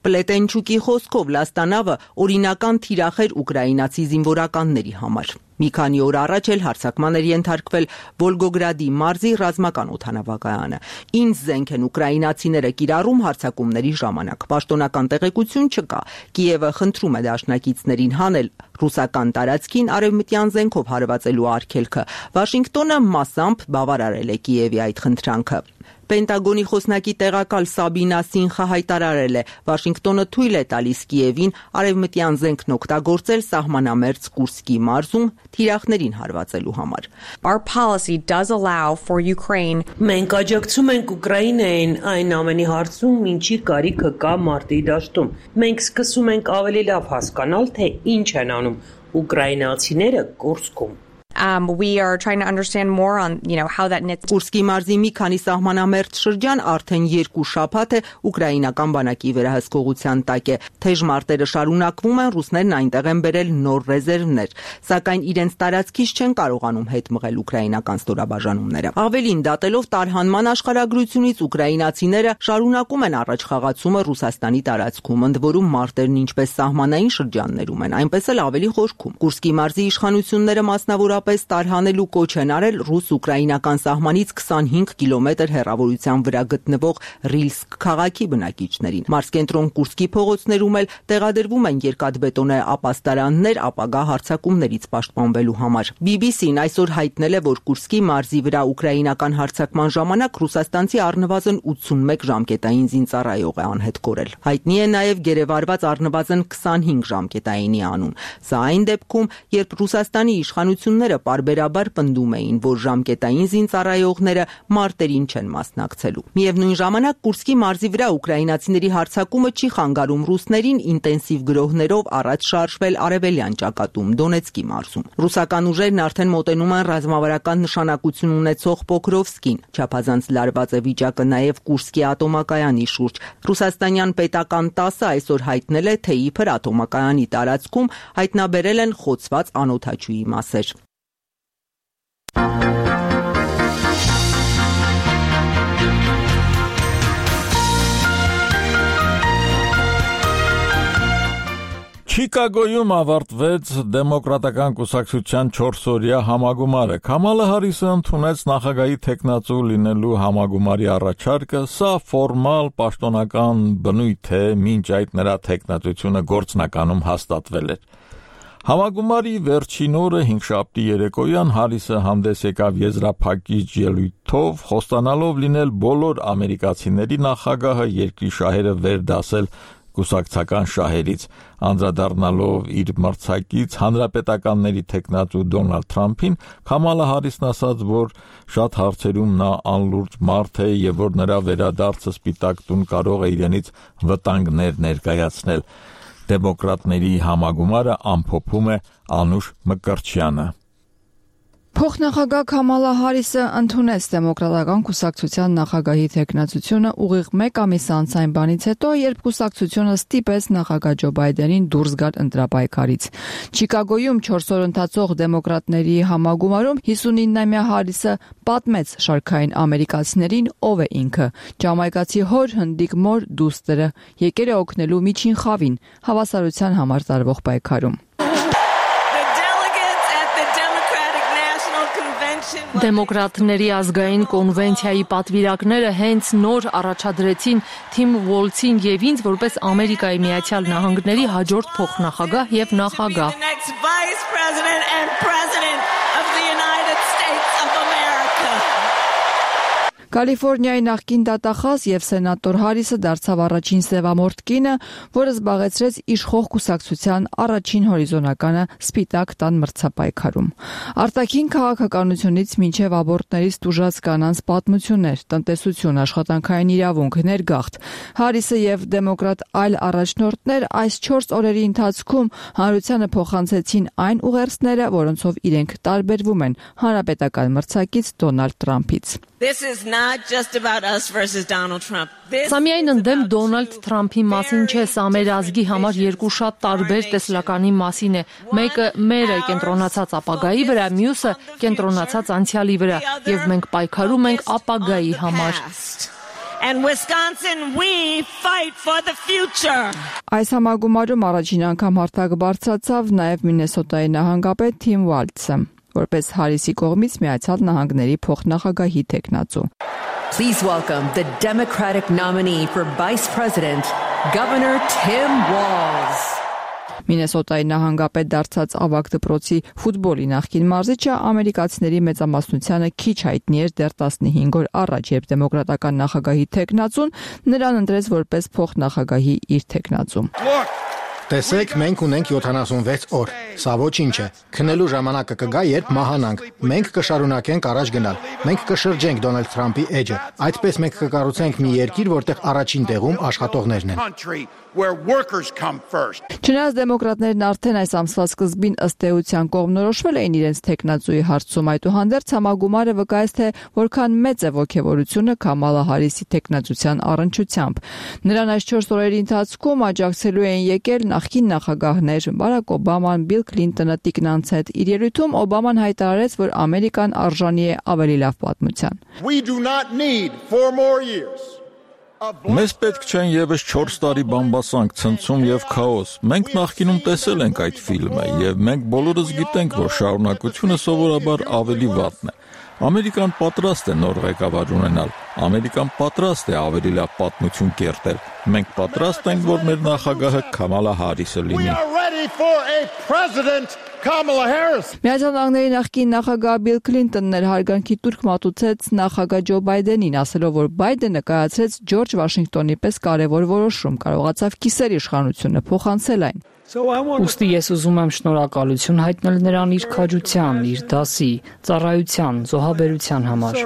Պլետենչուկի խոսքով լաստանավը օրինական թիրախ էր ուկրաինացի զինվորականների համար։ Մի քանի օր առաջ էլ հարձակման էր ենթարկվել Վոլգոգրադի մարզի ռազմական օդանավակայանը։ Ինչ զենք են ուկրաինացիները կիրառում հարձակումների ժամանակ։ Պաշտոնական տեղեկություն չկա։ Կիևը խնդրում է դաշնակիցներին հանել ռուսական տարածքին արևմտյան զենքով հարվածելու արգելքը։ Վաշինգտոնը մասամբ բավարարել է Կիևի այդ խնդրանքը։ Պենտագոնի խոսնակի տեղակալ Սաբինա Սինխը հայտարարել է, Վաշինգտոնը թույլ է տալիս Կիևին արևմտյան զենքն օգտագործել սահմանամերձ Կուրսկի մարզում թիրախներին հարվածելու համար։ Our policy does allow for Ukraine. Մենք աջակցում ենք Ուկրաինային այն ամենի հարցում, ինչի կարիքը կա մարտի դաշտում։ Մենք սկսում ենք ավելի լավ հասկանալ, թե ինչ են անում ուկրաինացիները Կուրսկում։ We are trying to understand more on, how that knits. Կուրսկի մարզի մի քանի սահմանամերձ շրջան արդեն 2 շաբաթ է ուկրաինական բանակի վերահսկողության տակ է։ Թեժ մարտերը շարունակվում են, ռուսներն այնտեղ են բերել նոր ռեզերվներ, սակայն իրենց տարածքից չեն կարողանում հետ մղել ուկրաինական ստորաբաժանումները։ Ավելին, դատելով տարհանման աշխարհագրությունից ուկրաինացիները շարունակում են առաջխաղացումը Ռուսաստանի տարածքում, ընդ որում մարտերն ինչպես սահմանային շրջաններում են, այնպես էլ ավելի խորքում։ Կուրսկի մարզի իշխանությունները մասնավորապես տարհանելու կոչ են արել ռուս-ուկրաինական սահմանից 25 կիլոմետր հեռավորության վրա գտնվող Ռիլսկ քաղաքի բնակիչներին։ Մարզկենտրոն Կուրսկի փողոցներում էլ տեղադրվում են երկաթբետոնե ապաստարաններ ապագա հարձակումներից պաշտպանվելու համար։ BBC-ն այսօր հայտնել է, որ Կուրսկի մարզի վրա ուկրաինական հարձակման ժամանակ ռուսաստանցի առնվազն 81 ժամկետային զինծառայող է անհետ կորել։ Հայտնի է նաև գերեվարված առնվազն 25 ժամկետայինի անուն։ Սա այն դեպքում, երբ Ռուսաստանի իշխանությունները պարբերաբար պնդում էին, որ ժամկետային զինծառայողները մարտերին չեն մասնակցելու։ Միևնույն ժամանակ Կուրսկի մարզի վրա ուկրաինացիների հարձակումը չի խանգարում ռուսներին ինտենսիվ գրոհներով առաջ շարժվել արևելյան ճակատում Դոնեցկի մարզում։ Ռուսական ուժերն արդեն մոտենում են ռազմավարական նշանակություն ունեցող Պոկրովսկին։ Չափազանց լարված է վիճակը նաև Կուրսկի ատոմակայանի շուրջ։ Ռուսաստանյան պետական ՏԱՍ-ը այսօր հայտնել է, թե իբր ատոմակայանի տարածքում հայտնաբերել են խոցված անօդաչուի մասեր։ Չիկագոյում ավարտվեց դեմոկրատական կուսակցության 4-օրյա համագումարը։ Քամալա Հարիսը ընդունեց նախագահի թեկնածու լինելու համագումարի առաջարկը, սա ֆորմալ պաշտոնական բնույթ է, մինչ այդ նրա թեկնածությունը գործնականում հաստատվել էր։ Համագումարի վերջին օրը հինգշաբթի երեկոյան Հարիսը հանդես եկավ եզրափակիչ ելույթով, խոստանալով լինել բոլոր ամերիկացիների նախագահը, երկրի շահերը վերդասել կուսակցական շահերից, անդրադառնալով իր մրցակից հանրապետականների թեկնածու Դոնալդ Թրամփին, Քամալա Հարիսն ասաց, որ շատ հարցերում նա անլուրջ մարդ է եւ որ նրա վերադարձը Սպիտակ տուն կարող է իրենից վտանգներ ներկայացնել։ Դեմոկրատների համագումարը ամփոփում է Անուշ Մկրտչյանը։ Փոխնախագահ Քամալա Հարիսը ընդունեց դեմոկրատական կուսակցության նախագահի թեկնածությունը ուղիղ 1 ամիս անց այն բանից հետո, երբ կուսակցությունը ստիպեց նախագահ Ջո Բայդենին դուրս գալ ընտրապայքարից։ Չիկագոյում 4 օր ընթացող դեմոկրատների համագումարում 59-ամյա Հարիսը պատմեց շարքային ամերիկացիներին ով է ինքը։ Ջամայկացի հոր հնդիկ մոր դուստրը եկել է օգնելու միջին խավին հավասարության համար տարվող պայքարում։ Դեմոկրատների ազգային կոնվենցիայի պատվիրակները հենց նոր առաջադրեցին Թիմ Ուոլցին եւ ինձ որպես Ամերիկայի Միացյալ Նահանգների հաջորդ փոխնախագահ եւ նախագահ։ Կալիֆոռնիայի նախկին դատախազ եւ սենատոր Հարիսը դարձավ առաջին սևամորթ կինը, որը զբաղեցրեց իշխող կուսակցության առաջին հորիզոնականը Սպիտակ տան մրցապայքարում։ Արտաքին քաղաքականությունից մինչև աբորտներից տուժած կանանց պատմություններ, տնտեսություն, աշխատանքային իրավունք, ներգաղթ։ Հարիսը եւ դեմոկրատ այլ առաջնորդներ այս 4 օրերի ընթացքում հանրությանը փոխանցեցին այն ուղերձները, որոնցով իրենք տարբերվում են հանրապետական մրցակից Դոնալդ Թրամփից։ Սա միայն ընդդեմ Դոնալդ Թրամփի մասին չէ, սա մեր ազգի համար երկու շատ տարբեր տեսլականի մասին է։ Մեկը մեր է կենտրոնացած ապագայի վրա, մյուսը կենտրոնացած անցյալի վրա, եւ մենք պայքարում ենք ապագայի համար։ Այս համագումարում առաջին անգամ հարթակ բարձրացավ նաև Մինեսոտայի նահանգապետ Թիմ Ուոլցը, որպես Հարիսի կողմից Միացյալ Նահանգների փոխնախագահի թեկնածու։ Please welcome the Democratic nominee for Vice President, Governor Tim Walz. Մինեսոտայի նահանգապետ դարձած ավագ դպրոցի ֆուտբոլի նախկին մարզիչը ամերիկացիների մեծամասնությանը քիչ հայտնի էր դեռ 15 օր առաջ, երբ դեմոկրատական նախագահի թեկնածուն նրան ընտրեց որպես փոխնախագահի իր թեկնածու։ Տեսեք, մենք ունենք 76 օր։ Սա ոչինչ է։ Քնելու ժամանակը կգա, երբ մահանանք։ Մենք կշարունակենք առաջ գնալ։ Մենք կշրջենք Դոնալդ Թրամփի էջը։ Այդպես մենք կկառուցենք մի երկիր, որտեղ առաջին տեղում աշխատողներն են։ Չնայած դեմոկրատներն արդեն այս ամսվա սկզբին ըստ էության կողմնորոշվել էին իրենց թեկնածուի հարցում, այդուհանդերձ համագումարը վկայեց, թե որքան մեծ է ոգևորությունը Քամալա Հարիսի թեկնածության առնչությամբ։ Նրան այս 4 օրերի ընթացքում աջակցելու էին եկել նախկին նախագահներ Բարակ Օբաման, Բիլ Քլինտոնը, Տիկնանց հետ։ Իր ելույթում Օբաման հայտարարեց, որ Ամերիկան արժանի է ավելի լավ պատմության։ Մեզ պետք չեն եւս 4 տարի բամբասանք, ցնցում եւ քաոս։ Մենք նախկինում տեսել ենք այդ ֆիլմը եւ մենք բոլորս գիտենք, որ շարունակությունը սովորաբար ավելի վատն է։ Ամերիկան պատրաստ է նոր ղեկավար ունենալ։ Ամերիկան պատրաստ է ավելի լավ պատմություն կերտել։ Մենք պատրաստ ենք, որ մեր նախագահը Քամալա Հարիսը լինի։ Միացյալ Նահանգների նախկին նախագահ Բիլ Քլինտոնն էր հարգանքի տուրք մատուցեց նախագահ Ջո Բայդենին, ասելով, որ Բայդենը կայացրեց Ջորջ Վաշինգտոնի պես կարևոր որոշում, կարողացավ կիսեր իշխանությունը փոխանցել այն։ Ուստի ես ուզում եմ շնորհակալություն հայտնել նրան իր քաջության, իր դասի, ծառայության, զոհաբերության համար։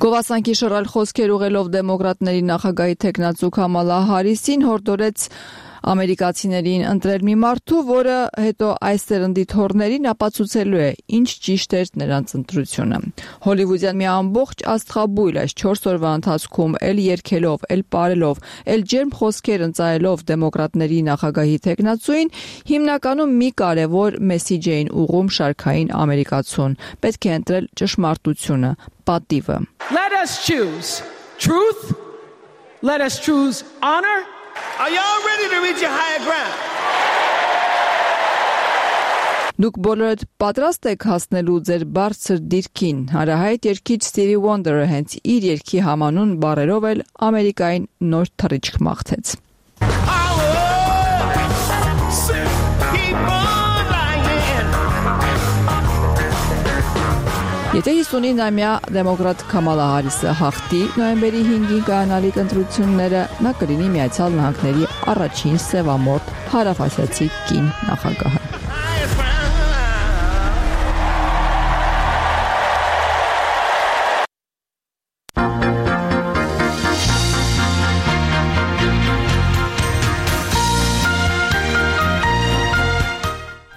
Գովասանքի շռայլ խոսքեր ուղղելով դեմոկրատների նախագահի թեկնածու Քամալա Հարիսին հորդորեց ամերիկացիներին ընտրել մի մարդու, որը հետո այս սերնդի թորներին ապացուցելու է, ինչ ճիշտ էր նրանց ընտրությունը։ Հոլիվուդյան մի ամբողջ աստղաբույլ այս 4 օրվա ընթացքում էլ երգելով, էլ պարելով, էլ ջերմ խոսքեր ընծայելով դեմոկրատների նախագահի թեկնածուին, հիմնականում մի կարևոր մեսիջ էին ուղղում շարքային ամերիկացուն։ Պետք է ընտրել ճշմարտությունը, պատիվը։ Let us choose truth. Let us choose honor. Are y'all ready to reach a higher ground? Դուք բոլորդ պատրաստ եք հասնելու ձեր բարձր դիրքին։ Հարահայտ երգիչ Stevie Wonder-ը հենց իր երգի համանուն բառերով էլ Ամերիկային նոր թռիչք մաղթեց։ Եթե 59-ամյա դեմոկրատ Քամալա Հարիսը հաղթի նոյեմբերի 5-ին կանալիք ընտրությունները, նա կլինի Միացյալ Նահանգների առաջին սևամորթ հարավասիացի կին նախագահը։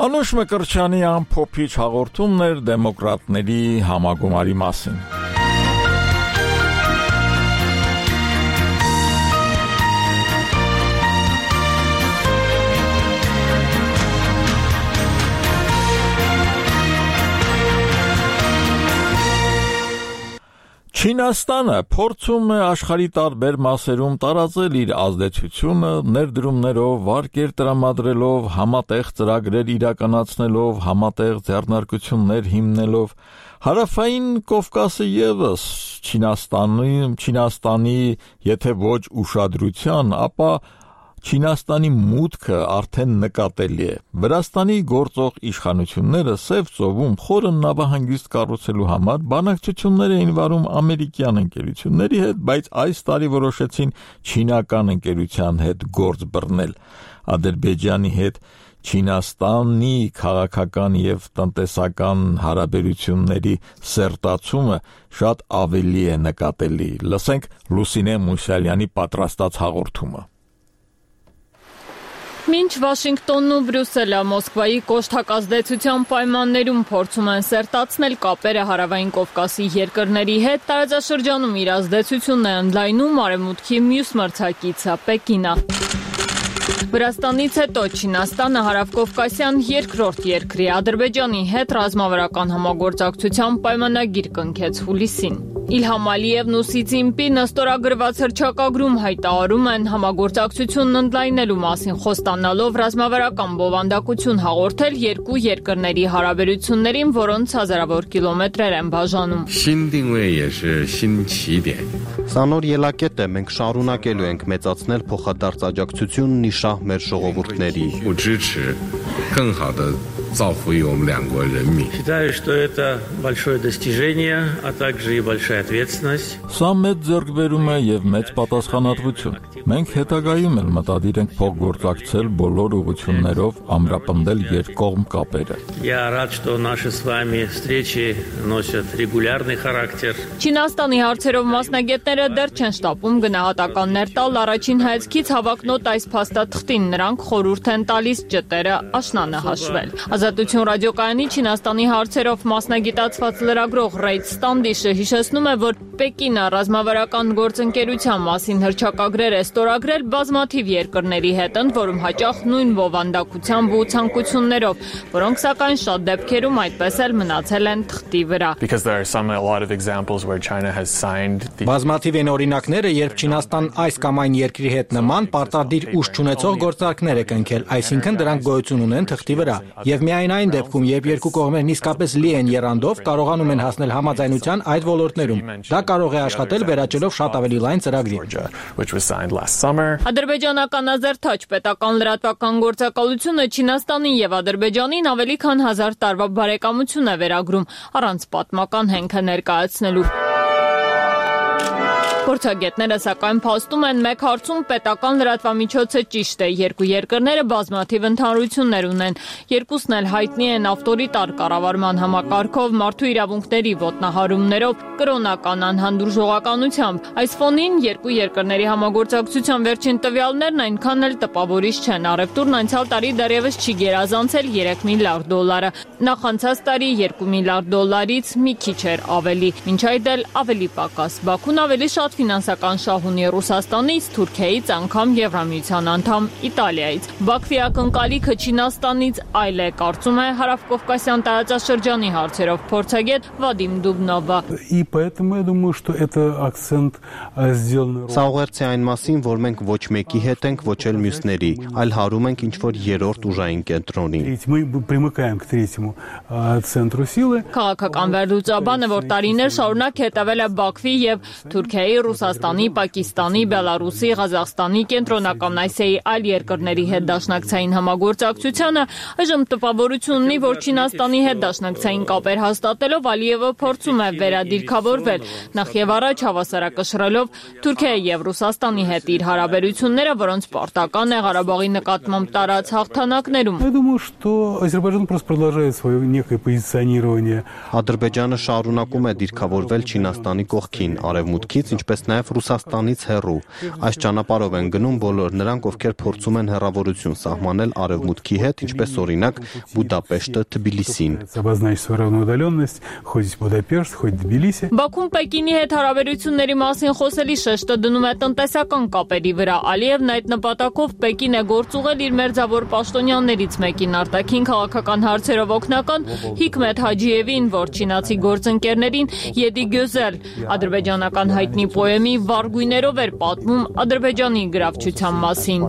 Անուշ Մկրտչյանի ամփոփիչ հաղորդումներ դեմոկրատների համագումարի մասին։ Չինաստանը փորձում է աշխարհի տարբեր մասերում տարածել իր ազդեցությունը ներդրումներով, վարկեր տրամադրելով, համատեղ ծրագրեր իրականացնելով, համատեղ ձեռնարկություններ հիմնելով։ Հարավային Կովկասը ևս Չինաստանի, եթե ոչ ուշադրության, ապա Չինաստանի մուտքը արդեն նկատելի է։ Վրաստանի գործող իշխանությունները Սև ծովում խորը նավահանգիստ կառուցելու համար բանակցություններ էին վարում ամերիկյան ընկերությունների հետ, բայց այս տարի որոշեցին չինական ընկերության հետ գործ բռնել։ Ադրբեջանի հետ Չինաստանի քաղաքական եւ տնտեսական հարաբերությունների սերտացումը շատ ավելի է նկատելի։ Լսենք Լուսինե Մուսալյանի պատրաստած հաղորդումը։ Մինչ Վաշինգտոնն ու Բրյուսելը Մոսկվայի կոշտակազդեցության պայմաններում փորձում են սերտացնել կապերը Հարավային Կովկասի երկրների հետ, տարածաշրջանում իր ազդեցությունն է ընդլայնում արևմուտքի մյուս մրցակիցը Պեկինը։ Վրաստանից հետո Չինաստանը հարավկովկասյան երկրորդ երկրի Ադրբեջանի հետ ռազմավարական համագործակցության պայմանագիր կնքեց հուլիսին։ Իլհամ Ալիևն ու Սի Ցզինպինը ստորագրված հռչակագրում հայտարարում են համագործակցությունն ընդլայնելու մասին խոստանալով ռազմավարական բովանդակություն հաղորդել երկու երկրների հարաբերություններին, որոնց հազարավոր կիլոմետրեր են բաժանում։ Սա նոր ելակետ է, մենք շարունակելու ենք մեծացնել փոխադարձ աջակցությունն իշահ մեր ժողովուրդների։ Считаю, что это большое достижение, а также и большая ответственность. Սա մեծ ձեռքբերում է եւ մեծ պատասխանատվություն։ Մենք հետագայում էլ մտադիր ենք փոխգործակցել բոլոր ուղղություններով, ամրապնդել երկկողմ կապերը։ Я рад, что наши с вами встречи носят регулярный характер. Չինաստանի հարցերով մասնագետները դեռ չեն շտապում գնահատականներ տալ առաջին հայացքից հավակնոտ այս փաստաթղթին, նրանք խորհուրդ են տալիս ճտերը աշնանը հաշվել։ Ազատություն ռադիոկայանի Չինաստանի հարցերով մասնագիտացված լրագրող Ռեյդ Ստանդիշը հիշեցնում է, որ Պեկինը ռազմավարական գործընկերության մասին հռչակագրեր է ստորագրել բազմաթիվ երկրների հետ, ընդ որում հաճախ նույն բովանդակությամբ ու ցանկություններով, որոնք սակայն շատ դեպքերում այդպես էլ մնացել են թղթի վրա։ Բազմաթիվ են օրինակները, երբ Չինաստան այս կամ այն երկրի հետ նման պարտադիր ուժ չունեցող գործարքներ է կնքել, այսինքն դրանք գոյություն ունեն թղթի վրա, եւ միայն այն դեպքում, երբ երկու կողմերն իսկապես լի են եռանդով, կարողանում են հասնել համաձայնության այդ ոլորտներում։ Դա կարող է աշխատել վերաճելով շատ ավելի լայն ծրագրի։ Ադրբեջանական Ազերթաչ պետական լրատվական գործակալությունը Չինաստանին եւ Ադրբեջանին ավելի քան 1000 տարվա բարեկամություն է վերագրում, առանց պատմական հենքը ներկայացնելու։ Փորձագետները սակայն փաստում են մեկ հարցում պետական լրատվամիջոցը ճիշտ է, երկու երկրները բազմաթիվ ընդհանրություններ ունեն, երկուսն էլ հայտնի են ավտորիտար կառավարման համակարգով, մարդու իրավունքների ոտնահարումներով, կրոնական անհանդուրժողականությամբ։ Այս ֆոնին երկու երկրների համագործակցության վերջին տվյալներն այնքան էլ տպավորիչ չեն, առևտուրն անցյալ տարի դեռևս չի գերազանցել $3 միլիարդ, նախանցած տարի $2 միլիարդ մի քիչ էր ավելի, մինչ այդ էլ ավելի պակաս։ Բաքուն ավելի շատ ֆինանսական շահ ունի Ռուսաստանից, Թուրքիայից, անգամ Եվրամիության անդամ Իտալիայից։ Բաքվի ակնկալիքը Չինաստանից այլ է, կարծում է Հարավկովկասյան տարածաշրջանի հարցերով փորձագետ Վադիմ Դուբնովը։ И поэтому я думаю, что это акцент сделан. Սա ուղերձ է այն մասին, որ մենք ոչ մեկի հետ ենք, ոչ էլ մյուսների, այլ հարում ենք ինչ-որ երրորդ ուժային կենտրոնի։ Мы примыкаем к третьему центру силы. Քաղաքական վերլուծաբանը, որ տարիներ շարունակ հետևել է Բաքվի եւ Թուրքիայի, Ռուսաստանի, Պակիստանի, Բելարուսի, Ղազախստանի, Կենտրոնական Ասիայի այլ երկրների հետ դաշնակցային համագործակցությանը, այժմ տպավորություն ունի, որ Չինաստանի հետ դաշնակցային կապեր հաստատելով Ալիևը փորձում է վերադիրքավորվել, նախ եւ առաջ հավասարակշռելով Թուրքիայի եւ Ռուսաստանի հետ իր հարաբերությունները, որոնց պարտական է Ղարաբաղի նկատմամբ տարած հաղթանակներում։ Я думаю, что Азербайджан просто продолжает свое некое позиционирование. Ադրբեջանը շարունակում է դիրքավորվել Չինաստանի կողքին, արևմուտքից, ինչպես նաև Ռուսաստանից հեռու։ Այս ճանապարհով են գնում բոլոր նրանք, ովքեր փորձում են հեռավորություն սահմանել արևմուտքի հետ, ինչպես օրինակ Բուդապեշտը, Թբիլիսին։ Обозначить свою равную удаленность, хоть Будапешт, хоть Тбилиси. Բաքուն Պեկինի հետ հարաբերությունների մասին խոսելի շեշտը դնում է տնտեսական կապերի վրա։ Ալիևն այդ նպատակով Պեկին է գործուղել իր մերձավոր պաշտոնյաներից մեկին, արտաքին քաղաքական հարցերով օգնական Հիկմետ Հաջիևին, որ չինացի գործընկերներին Եդի Գյոզել ադրբեջանական հայտնի պոեմի վառ էր պատմում Ադրբեջանի գրավչության մասին։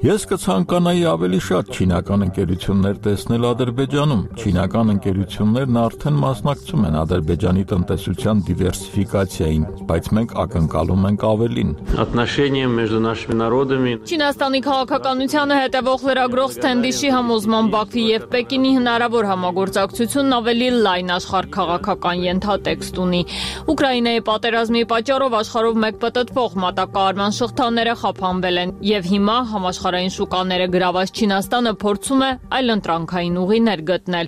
Ես կցանկանայի ավելի շատ չինական ընկերություններ տեսնել Ադրբեջանում։ Չինական ընկերություններն արդեն մասնակցում են Ադրբեջանի տնտեսության դիվերսիֆիկացիային, բայց մենք ակնկալում ենք ավելին։ Չինաստանի քաղաքականությանը հետևող լրագրող Սթենդիշի համոզման Բաքվի եւ Պեկինի հնարավոր համագործակցությունն ավելի լայն աշխարհքաղաքական ենթատեքստ ունի։ Ուկրաինայի պատերազմի պատճառով աշխարհով մեկ պտտվող մատակարարման շղթաները խափանվել են եւ հիմա համաշխարհային շուկաները գրաված Չինաստանը փորձում է այլընտրանքային ուղիներ գտնել։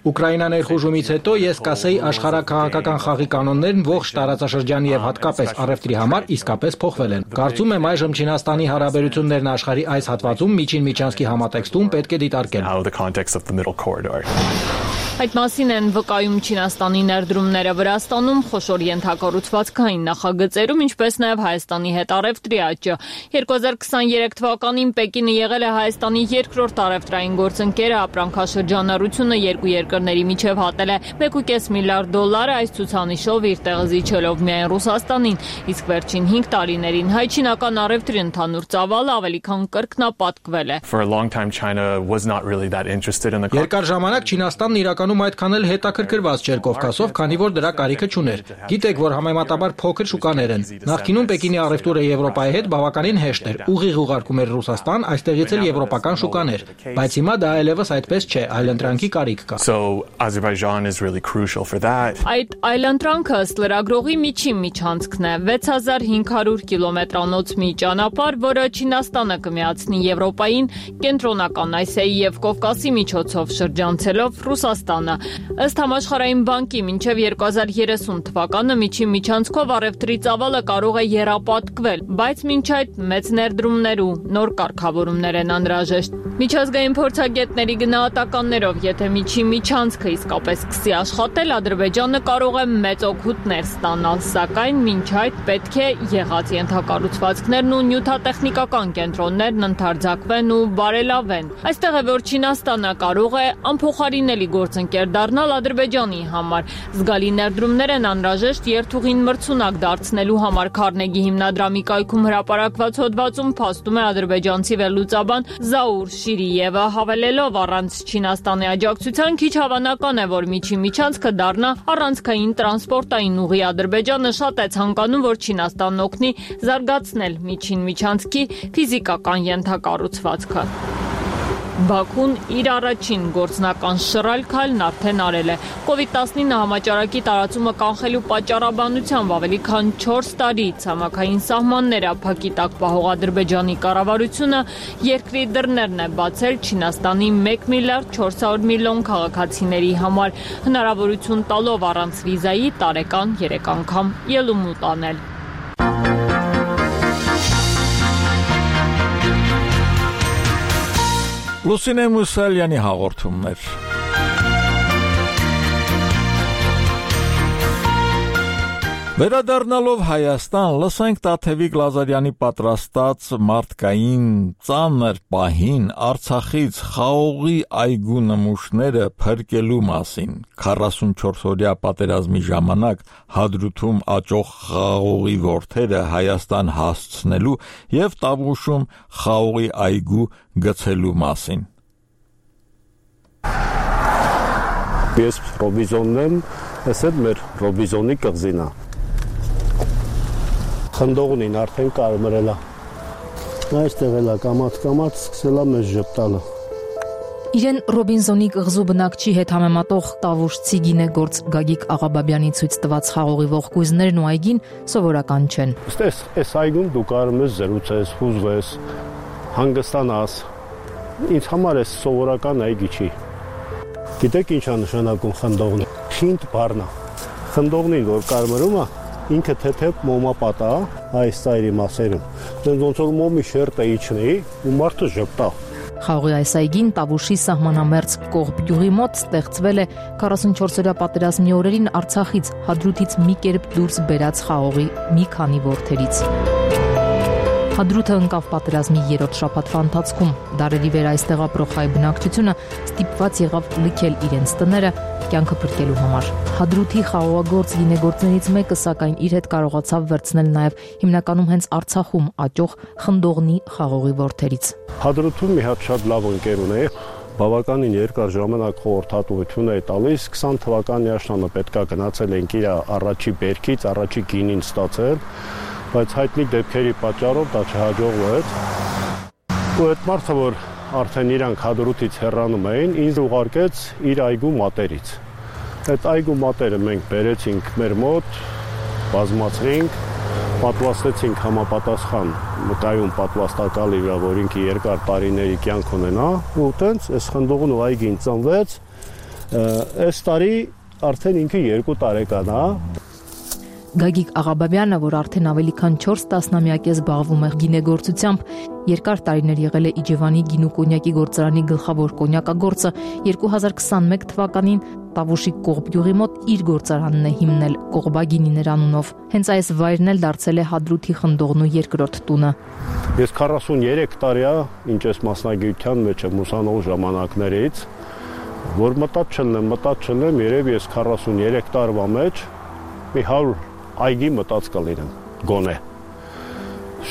Ուկրաինա ներխուժումից հետո ես կասեի աշխարհաքաղաքական խաղի կանոններն ողջ տարածաշրջանի եւ հատկապես առևտրի համար իսկապես փոխվել են։ Կարծում եմ այժմ Չինաստանի հարաբերություններն աշխարհի այս հատվածում միջին միջանցքի համատեքստում պետք է դիտարկել։ Այդ մասին են վկայում Չինաստանի ներդրումները Վրաստանում, խոշոր ենթակառուցվածքային նախագծերում, ինչպես նաև Հայաստանի հետ առևտրի աճը։ 2023 թվականին Պեկինը եղել է Հայաստանի երկրորդ առևտրային գործընկերը, ապրանքաշրջանառությունը երկու երկրների միջև հատել է $1.5 միլիարդ, այս ցուցանիշով իր տեղը զիջելով միայն Ռուսաստանին, իսկ վերջին 5 տարիներին հայ-չինական առևտրի ընդհանուր ծավալը ավելի քան կրկնապատկվել է։ Երկար ժամանակ Չինաստանն իրականում այդքան էլ հետաքրքրված չէր Կովկասով, քանի որ դրա կարիքը չուներ։ Գիտեք, որ համեմատաբար փոքր շուկաներ են։ Նախկինում Պեկինի առևտուրը Եվրոպայի հետ բավականին հեշտ էր, ուղիղ ուղարկում էր Ռուսաստան, այստեղից էլ եվրոպական շուկաներ։ Բայց հիմա դա այլևս այդպես չէ, այլընտրանքի կարիք կա։ Այդ այլընտրանքը ըստ լրագրողի միջին միջանցքն է 6500 կիլոմետրանոց մի ճանապարհ, որը Չինաստանը կմիացնի Եվրոպային, Կենտրոնական Ասիայի եւ Կովկասի միջոցով շրջանցելով Ռուսաստանը։ Ըստ Համաշխարհային բանկի մինչև 2030 թվականը միջին միջանցքով առևտրի ծավալը կարող է եռապատկվել, բայց մինչ այդ մեծ ներդրումներ ու նոր կարգավորումներ են անհրաժեշտ։ Միջազգային փորձագետների գնահատականներով, եթե միջին միջանցքը իսկապես սկսի աշխատել, Ադրբեջանը կարող է մեծ օգուտներ ստանալ, սակայն մինչ այդ պետք է եղած ենթակառուցվածքներն ու նյութատեխնիկական կենտրոններն ընդարձակվեն ու բարելավեն։ Այստեղ է, որ Չինաստանը կարող է անփոխարինելի գործընկեր դառնալ Ադրբեջանի համար։ Զգալի ներդրումներ են անհրաժեշտ երթուղին մրցունակ դարձնելու համար Քարնեգի հիմնադրամի կայքում հրապարակված հոդվածում փաստում է ադրբեջանցի վերլուծաբան Զաուր Շիրիևը, հավելելով առանց Չինաստանի աջակցության քիչ հավանական է, որ միջին միջանցքը դառնա առանցքային տրանսպորտային ուղի։ Ադրբեջանը շատ է ցանկանում, որ Չինաստանն օգնի զարգացնել միջին միջանցքի ֆիզիկական ենթակառուցվածքը։ Բաքուն իր առաջին գործնական շռայլ քայլն արդեն արել է։ COVID-19 համաճարակի տարածումը կանխելու պատճառաբանությամբ ավելի քան 4 տարի ցամաքային սահմանները փակի տակ պահող Ադրբեջանի կառավարությունը երկրի դռներն է բացել Չինաստանի 1 միլիարդ 400 միլիոն քաղաքացիների համար, հնարավորություն տալով առանց վիզայի տարեկան 3 անգամ ելումուտ անել։ Լուսինե Մուսալյանի հաղորդումներ։ Վերադառնալով Հայաստան, լսենք Տաթևիկ Լազարյանի պատրաստած մարդկային ծանր պահին Արցախից խաղողի այգու նմուշները փրկելու մասին, 44-օրյա պատերազմի ժամանակ Հադրութում աճող խաղողի ворթերը Հայաստան հասցնելու եւ Տավուշում խաղողի այգու գցելու մասին։ Ես ռոբիզոնն եմ, ես էլ մեր ռոբիզոնի կղզին է։ Խնդողնին արդեն կարմրել է։ Այստեղ էլ է կամաց սկսել է մեզ ժպտալը։ Իրեն Ռոբինզոնի կղզու բնակչի հետ համեմատող տավուշցի գինեգործ Գագիկ Աղաբաբյանի ցույց տված խաղողի ողկույզներն ու այգին սովորական չեն։ Այս այգում դու կարող ես զրուցես, հուզվես, հանգստանաս։ Ինձ համար էս սովորական այգի չի։ Գիտեք ինչ է նշանակում խնդողնի։ Խինտ բառն է։ Խնդողնին որ կարմրում է, ինքը թեթև մոմապատա այս ծայրի մասերում։ Ոնց որ մոմի շերտը իջնի ու մարդը ժպտա։ Խաղողի այս այգին Տավուշի սահմանամերձ Կողբ գյուղի մոտ ստեղծվել է 44-օրյա պատերազմի օրերին Արցախից Հադրութից մի կերպ դուրս բերած խաղողի մի քանի ворթերից։ Հադրութը ընկավ պատերազմի 3-րդ շաբաթվա ընթացքում։ Դարերի վեր այստեղ ապրող հայ բնակչությունը ստիպված եղավ լքել իրենց տները կյանքը փրկելու համար։ Հադրութի խաղողագործ գինեգործներից մեկը սակայն իր հետ կարողացավ վերցնել նաև հիմնականում հենց Արցախում աճող խնդողնի խաղողի ворթերից։ Հադրութում մի հատ շատ լավ ընկեր ունեի, բավականին երկար ժամանակ խորհրդատվություն է տալիս, 20 թվականի աշնանը պետքա գնացել ենք իր առաջի բերքից, առաջի գինին ստացել, բայց հայտնի դեպքերի պատճառով դա չհաջողվեց։ Ու այդ մարդը, որ արդեն իրանք Հադրութից հեռանում էին, ինձ ուղարկեց իր այգու մատերից։ Այդ այգու մատերը մենք բերեցինք մեր մոտ, բազմացրինք, պատվաստեցինք համապատասխան մկայուն պատվաստակալի վրա, որ ինքը երկար տարիների կյանք ունենա, ու տենց այս խնդողն ու այգին ծնվեց, այս տարի արդեն ինքը 2 տարեկան է։ Գագիկ Աղաբաբյանը, որ արդեն ավելի քան 4 տասնամյակ է զբաղվում է գինեգործությամբ, երկար տարիներ եղել է Իջևանի գինու կոնյակի գործարանի գլխավոր կոնյակագործը, 2021 թվականին Տավուշի Կողբ գյուղի մոտ իր գործարանն է հիմնել Կողբագինիներ անունով։ Հենց այս վայրն էլ դարձել է Հադրութի խնդողնու երկրորդ տունը։ Ես 43 տարի է, ինչ ես մասնագիտության մեջ եմ ուսանող ժամանակներից, որ մտած չլնեմ, երևի ես 43 տարվա մեջ մի 100 այգի մտած կլինեմ, գոնե։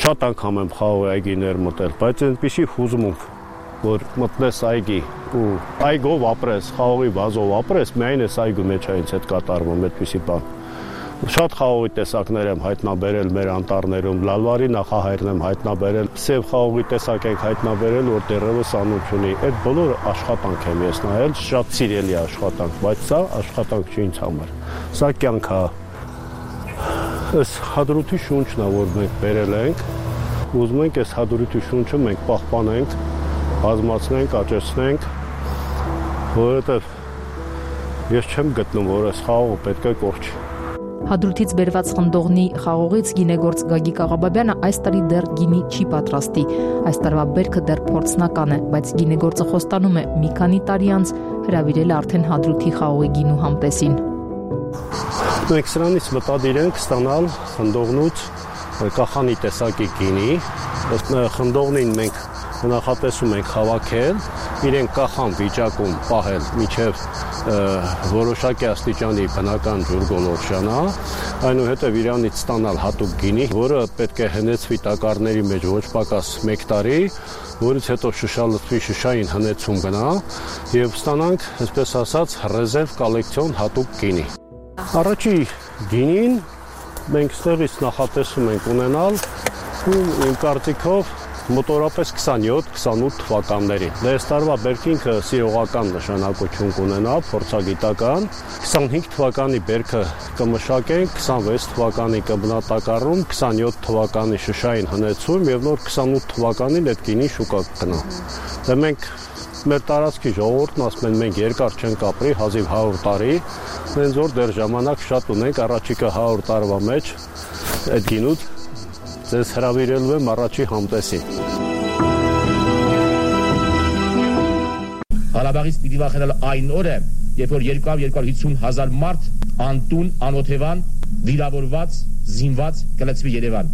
Շատ անգամ եմ խաղողի այգիներ մտել, բայց այնպիսի հուզմունք, որ մտնես այգի ու այգով ապրես, խաղողի վազով ապրես, միայն այս այգու մեջ է ինձ հետ կատարվում այդպիսի բան։ Շատ խաղողի տեսակներ եմ հայտնաբերել մեր անտառներում, լալվարի նախահայրն եմ հայտնաբերել, սև խաղողի տեսակ ենք հայտնաբերել, որ դեռևս անուն չունի։ Այդ բոլորը աշխատանք եմ ես նայել, շատ սիրելի աշխատանք, բայց սա աշխատանք չի ինձ համար։ Սա կյանք է։ Այս Հադրութի շունչն է, որ մենք բերել ենք, ուզում ենք այս Հադրութի շունչը մենք պահպանենք, բազմացնենք, աճեցնենք, որովհետև ես չեմ գտնում, որ այս խաղողը պետք է կորչի։ Հադրութից բերված խնդողնի խաղողից գինեգործ Գագիկ Աղաբաբյանը այս տարի դեռ գինի չի պատրաստի։ Այս տարվա բերքը դեռ փորձնական է, բայց գինեգործը խոստանում է մի քանի տարի անց հրավիրել արդեն Հադրութի խաղողի գինու համտեսին։ Մենք սրանից մտադիր ենք ստանալ խնդողնուց կախանի տեսակի գինի։ Ըստ խնդողնին մենք նախատեսում ենք հավաքել, իրեն կախան վիճակում պահել մինչև որոշակի աստիճանի բնական ջուրգոլորշանա, այնուհետև իրանից ստանալ հատուկ գինի, որը պետք է հնեցվի տակառների մեջ ոչ պակաս 1 տարի, որից հետո շշալցվի, շշային հնեցում գնա եւ ստանանք, այսպես ասած, ռեզերվ կոլեկցիոն հատուկ գինի։ Առաջի գինին մենք ստեղից նախատեսում ենք ունենալ ու իմ կարծիքով մոտորապես 27-28 թվականներին։ Այս տարվա բերքինքը սիրողական նշանակություն կունենա, փորձագիտական։ 25 թվականի բերքը կմշակենք, 26 թվականի կբնատակառում, 27 թվականի շշային հնեցում եւ նոր 28 թվականին այդ գինի շուկա կգնա։ Դե մենք մեր տարածքի ժողովուրդն ասում են մենք երկար չենք ապրի, հազիվ 100 տարի, մենք որ դեռ ժամանակ շատ ունենք, առաջիկա 100 տարվա մեջ այդ գինուց ձեզ հրավիրելու եմ առաջի համտեսի։ Ղարաբաղից պիտի վախենալ այն օրը, երբ որ 200-250 հազար մարդ անտուն, անօթևան վիրավորված, զինված կլցվի Երևան։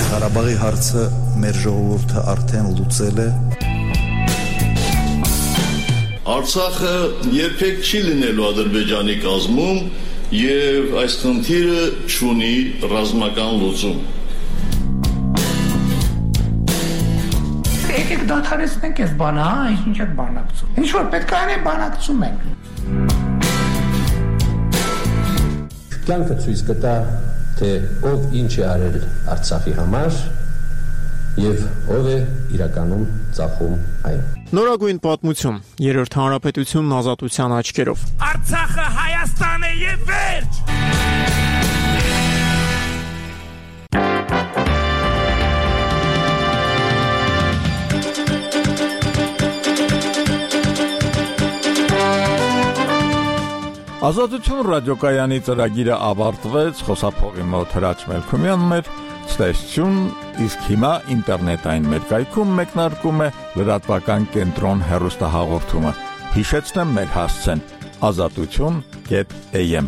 Ղարաբաղի հարցը մեր ժողովուրդը արդեն լուծել է։ Արցախը երբեք չի լինելու Ադրբեջանի կազմում եւ այս խնդիրը չունի ռազմական լուծում։ Եկեք դադարեցնենք այս բանը, ինչ եք բանակցում։ Ինչ որ պետք է անենք, բանակցում ենք։ Կյանքը ցույց կտա, թե ով ինչ է արել Արցախի համար եւ ով է իրականում ծախում այն։ Նորագույն պատմություն, Երրորդ հանրապետությունն ազատության աչքերով։ Արցախը Հայաստան է եւ վերջ։ Ազատություն ռադիոկայանի ծրագիրը ավարտվեց, խոսափողի մոտ Հրաչ Մելքումյանն էր, ցտեսություն, իսկ հիմա ինտերնետային մեր կայքում մեկնարկում է լրատվական կենտրոն հեռուստահաղորդումը։ Հիշեցնեմ մեր հասցեն՝ azatutun.am